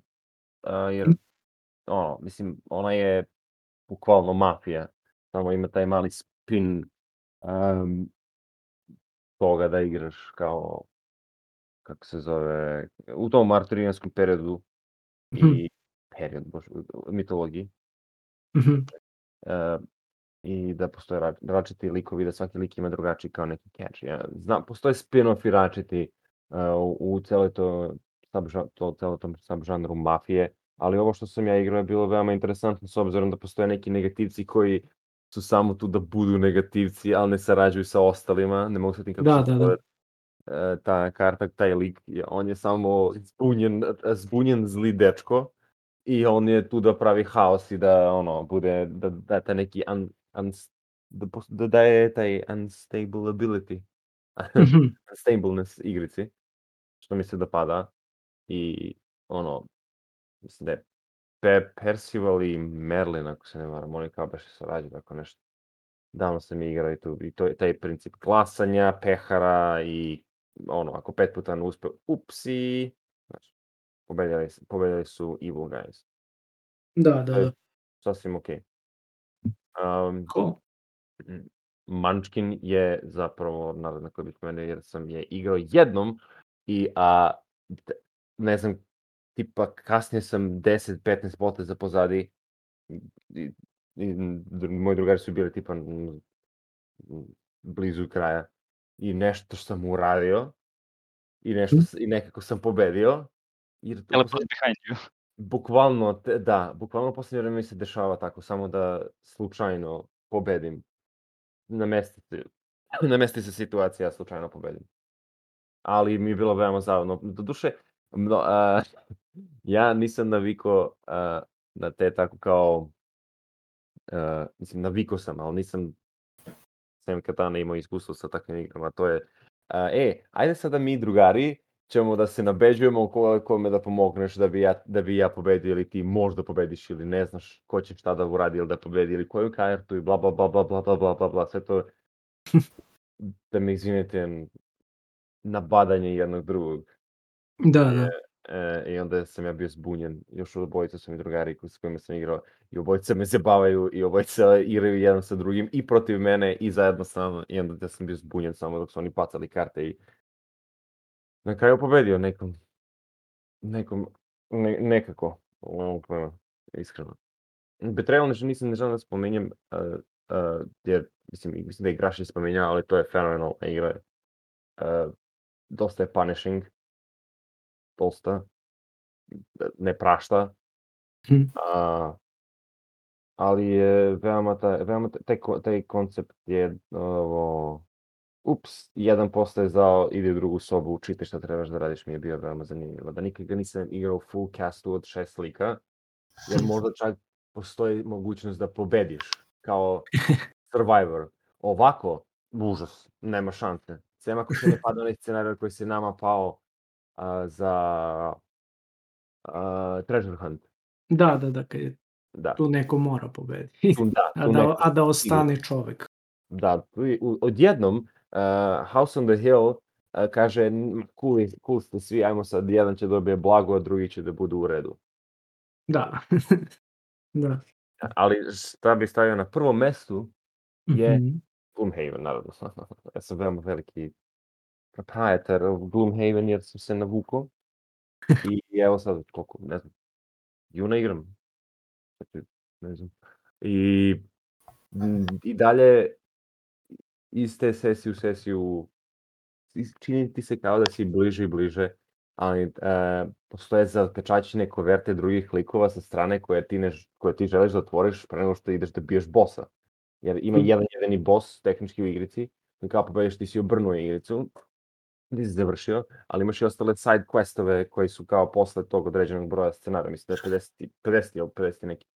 jer, mislim, ona je bukvalno mafija, samo ima taj mali spin toga da igraš kao, kako se zove, u tom arturijanskom periodu i mitologiji. I da postoje različiti likovi, da svaki lik ima drugačiji kao neki catch. Znam, postoje spin-offi različiti u celoj tom subžanru mafije, ali ovo što sam ja igrao je bilo veoma interesantno s obzirom da postoje neki negativci koji su samo tu da budu negativci, ali ne sarađuju sa ostalima, ne mogu se nikako Da, da, da. ta karta, taj lik, on je samo zbunjen zli dečko i on je tu da pravi haos i da bude, da taj neki da daje taj unstable ability, Mhm. unstableness igrici, što mi se dopada i mislim da je Percival i Merlin, ako se ne varam, oni kao baš sarađuju, tako nešto. Davno sam igrao i to je taj princip glasanja, pehara i ako 5 puta ne uspe, upsi, znači, pobedjali su Evil Guys. Da, To da, je da. sasvim okej. Cool. Munchkin je zapravo naravno koji bih pomenuo jer sam je igrao jednom i ne znam, tipa kasnije sam 10-15 poteza pozadi i moji drugari su bili tipa blizu kraja i nešto sam uradio i nekako sam pobedio. Teleport behind you. Bukvalno posljednje vreme mi se dešava tako, samo da slučajno pobedim. Namesti se situacija, ja slučajno pobedim. Ali mi je bilo veoma zabavno. Doduše, ja nisam navikao na te tako kao, mislim, navikao sam, ali nisam sem Katana imao iskustvo sa takvim igrama. To je, ajde sada mi drugari ćemo da se nabeđujemo kome da pomogneš da bi ja pobedio ili ti možda pobediš ili ne znaš ko će šta da uradi ili da pobedi ili koju kartu i bla bla bla bla bla bla bla bla bla, sve to da me izvinete nabadanje jednog drugog. Da, da. I onda sam ja bio zbunjen, još od obojica su mi drugari s kojima sam igrao i obojica me zabavaju i obojica igraju jedan sa drugim i protiv mene i zajedno sa mnom i onda ja sam bio zbunjen samo dok su oni pacali karte i na kraju pobedio nekako, iskreno. Betrayal nisam ne želim da spominjem, jer mislim da je Igraš je spominjao, ali to je fenomenalna igra. Dosta je punishing, dosta, ne prašta, ali je veoma taj koncept je jedan postaje zao, ide u drugu sobu, učite šta trebaš da radiš, mi je bio veoma zanimljivo. Da nikad ga nisam igrao u full castu od 6 lika, jer možda čak postoji mogućnost da pobediš kao Survivor. Ovako, užas, nema šanse. Sem ako se ne pada onaj scenarij koji se nama pao za Treasure Hunt. Da, kad je Da. tu neko mora pobediti. Da, a da ostane čovek. Da, odjednom House on the Hill kaže cool ste svi, ajmo sad, jedan će dobije blago, a drugi će da budu u redu. Da. Da. Ali šta bi stavio na prvom mestu je Gloomhaven, naravno. Ja sam veoma veliki proprietor Gloomhaven jer sam se navukao. I evo sad, koliko, ne znam, juna igram. Ne znam. I dalje iz te sesije u sesiju čini ti se kao da si bliže i bliže, ali postoje zapečaćene koverte drugih likova sa strane koje ti želiš da otvoriš pre nego što ideš da biješ bossa. Jer ima jedan jedini boss tehnički u igrici, i kao pobediš ti si obrnuo igricu, ti si završio, ali imaš i ostale side questove koji su kao posle tog određenog broja scenarija, mislim da je 50 ili 50 neki.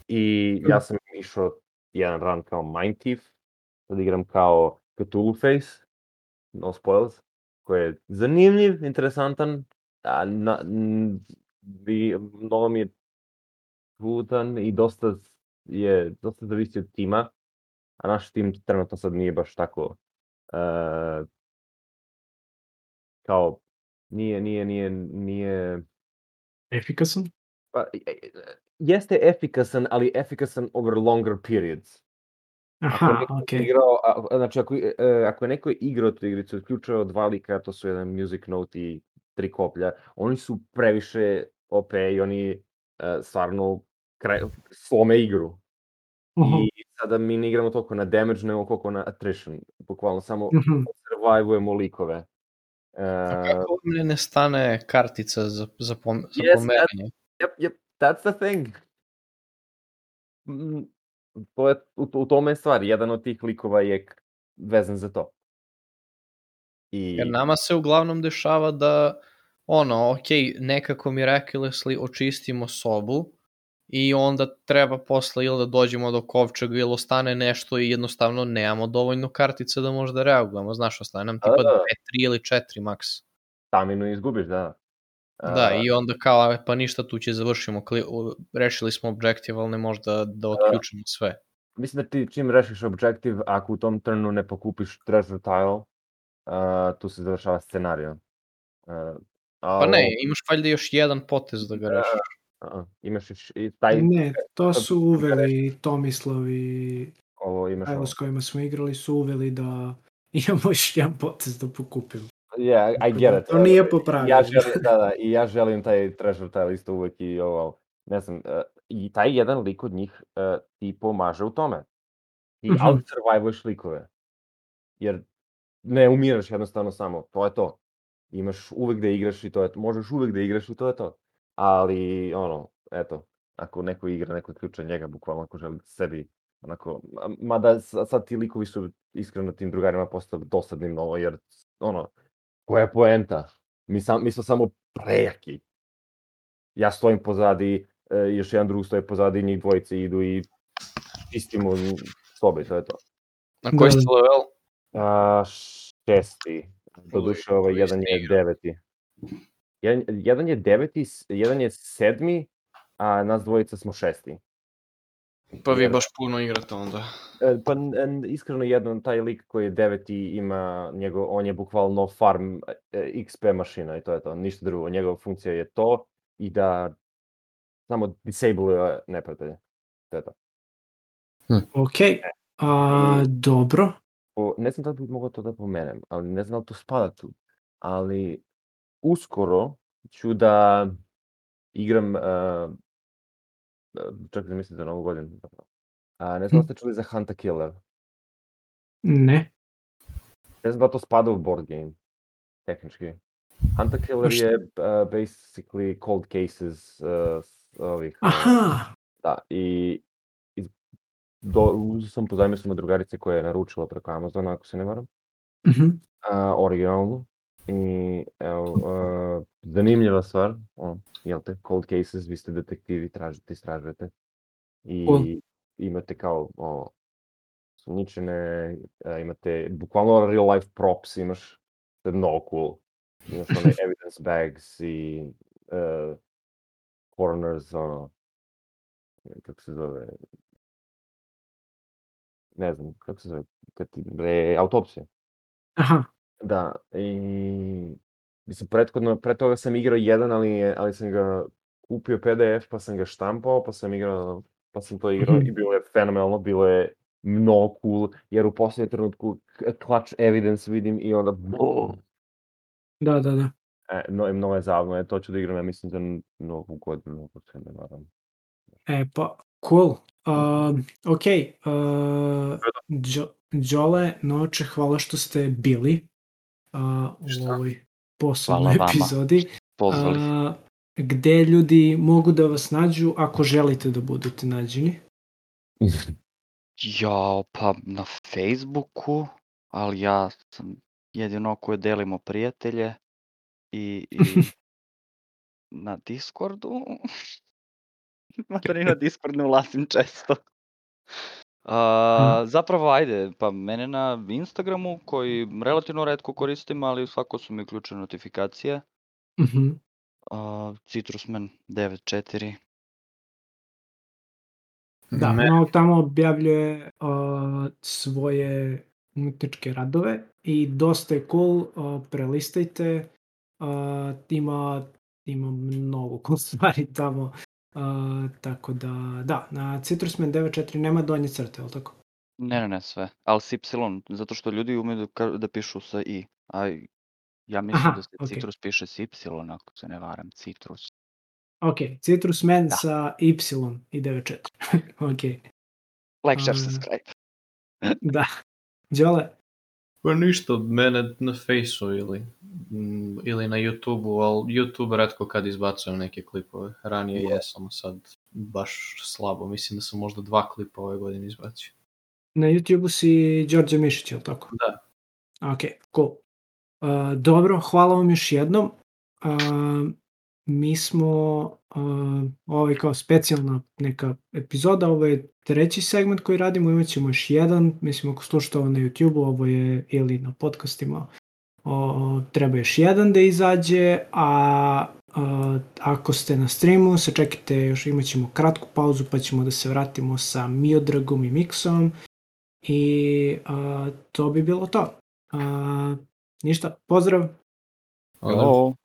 I ja sam išao jedan run kao Mind Thief, sad igram kao Cthulhu Face, no spoils, koji je zanimljiv, interesantan, mnogo mi je putan i dosta zavisi od tima, a naš tim trenutno sad nije baš tako kao nije Efikasan? pa, jeste efikasan, ali efikasan over longer periods. Aha, okej. Znači, ako je neko igrao tu igricu, uključio 2 lika, to su jedan music note i 3 koplja, oni su previše OP i oni stvarno slome igru. I sada mi ne igramo toliko na damage, nego koliko na attrition. Bukvalno samo survivujemo likove. A kako vam ne stane kartica za pomeranje? Yep, that's the thing. To je, u tome je stvar. Jedan od tih likova je vezan za to. Jer nama se uglavnom dešava da nekako miraculously očistimo sobu i onda treba posle ili da dođemo do kovčega ili ostane nešto i jednostavno nemamo dovoljno kartica da možda reagujemo. Znaš, ostane nam tipa 2, 3 ili 4 maks. Staminu izgubiš, da. Da, i onda kao, pa ništa, tu će završimo, rešili smo objektiv, ali ne možda da otključimo sve. Mislim da ti čim rešiš objektiv, ako u tom turnu ne pokupiš treasure tile, tu se završava scenario. Pa ne, imaš valjda još jedan potez da ga rešiš. Imaš i taj... Ne, to su uveli Tomislav i Ajlo s kojima smo igrali su uveli da imamo još jedan potez da pokupimo. Yeah, I get it. To nije popravljeno. I ja želim taj treasure tile isto uvek i ovo, ne znam, i taj jedan lik od njih ti pomaže u tome. Ti out-survivuješ likove. Jer ne umiraš jednostavno samo, to je to. Imaš uvek da igraš i to je to. Možeš uvek da igraš i to je to. Ali, eto, ako neko igra, neko ključa njega, bukvalno ako želi sebi, onako, mada sad ti likovi su iskreno tim drugarima postali dosadni mnogo, jer, koja je poenta? Mi smo samo prejaki. Ja stojim pozadi, još jedan drug stoji pozadi, njih dvojice idu i čistimo sobe, to je to. Na koji ste level? 6. Doduše, jedan je 9. Jedan je 9, jedan je 7, a nas dvojica smo 6. Pa vi baš puno igrate onda. Pa iskreno jedan, taj lik koji je 9 ima, on je bukvalno farm XP mašina i to je to, ništa drugo. Njegova funkcija je to i da samo disable neprijatelje. To je to. Ok, dobro. Ne znam da bi mogao to da pomenem, ali ne znam da li to spada tu. Ali uskoro ću da igram, čak da mislim za novu godinu. Ne znam da ste čuli za Hunter Killer. Ne. Ne znam da to spada u board game, tehnički. Hunter Killer je basically cold cases ovih. Aha! Da, i uzeo sam pozajmio sam od drugarice koja je naručila preko Amazona, ako se ne varam. Originalnu. I evo, zanimljiva stvar, jel te, cold cases, vi ste detektivi, tražite, istražujete. I imate kao sumnjičene, imate bukvalno real life props, imaš, to je mnogo cool. Imaš one evidence bags i coroners, kako se zove, ne znam, kako se zove, autopsije. Aha. Da, i mislim, pre toga sam igrao jedan, ali sam ga kupio PDF, pa sam ga štampao, pa sam to igrao i bilo je fenomenalno, bilo je mnogo cool, jer u posljednjem trenutku clutch evidence vidim i onda Da. Mnogo je zabavno, to ću da igram, ja mislim, za novu godinu, ako se ne varam. Pa, cool. Ok, Đole, Noče, hvala što ste bili u ovoj posebnoj epizodi. Pozvali. Gde ljudi mogu da vas nađu ako želite da budete nađeni? Pa na Facebooku, ali ja sam jedino koje delimo prijatelje i na Discordu. Makar i na Discord ne ulazim često. Zapravo, ajde, pa mene na Instagramu, koji relativno retko koristim, ali svako su mi uključene notifikacije. Citrusman94. Da, tamo objavljuje svoje umetničke radove i dosta je cool, prelistajte, ima mnogo cool stvari tamo. Tako da, na Citrusman94 nema donje crte, ali tako? Ne, sve, ali s Y, zato što ljudi umeju da pišu sa I, a ja mislim da se Citrus piše s Y, ako se ne varam, Citrus. Ok, Citrusman sa Y i 94, ok. Like, share, subscribe. Da, Đole? Pa ništa od mene na Fejsu ili na YouTubeu, ali YouTube retko kad izbacujem neke klipove. Ranije jesam, sad baš slabo. Mislim da sam možda 2 klipa ove godine izbacio. Na YouTubeu si Đorđe Mišić, je li tako? Da. Ok, cool. Dobro, hvala vam još jednom. Mi smo, ovo je kao specijalna neka epizoda, ovo je 3. segment koji radimo, imat ćemo još jedan, mislim ako slušate ovo na YouTube-u, ovo je ili na podcastima, treba još jedan da izađe, a ako ste na streamu, sačekajte, još imat ćemo kratku pauzu pa ćemo da se vratimo sa Miodragom i Miksom i to bi bilo to. Ništa, pozdrav! Hello.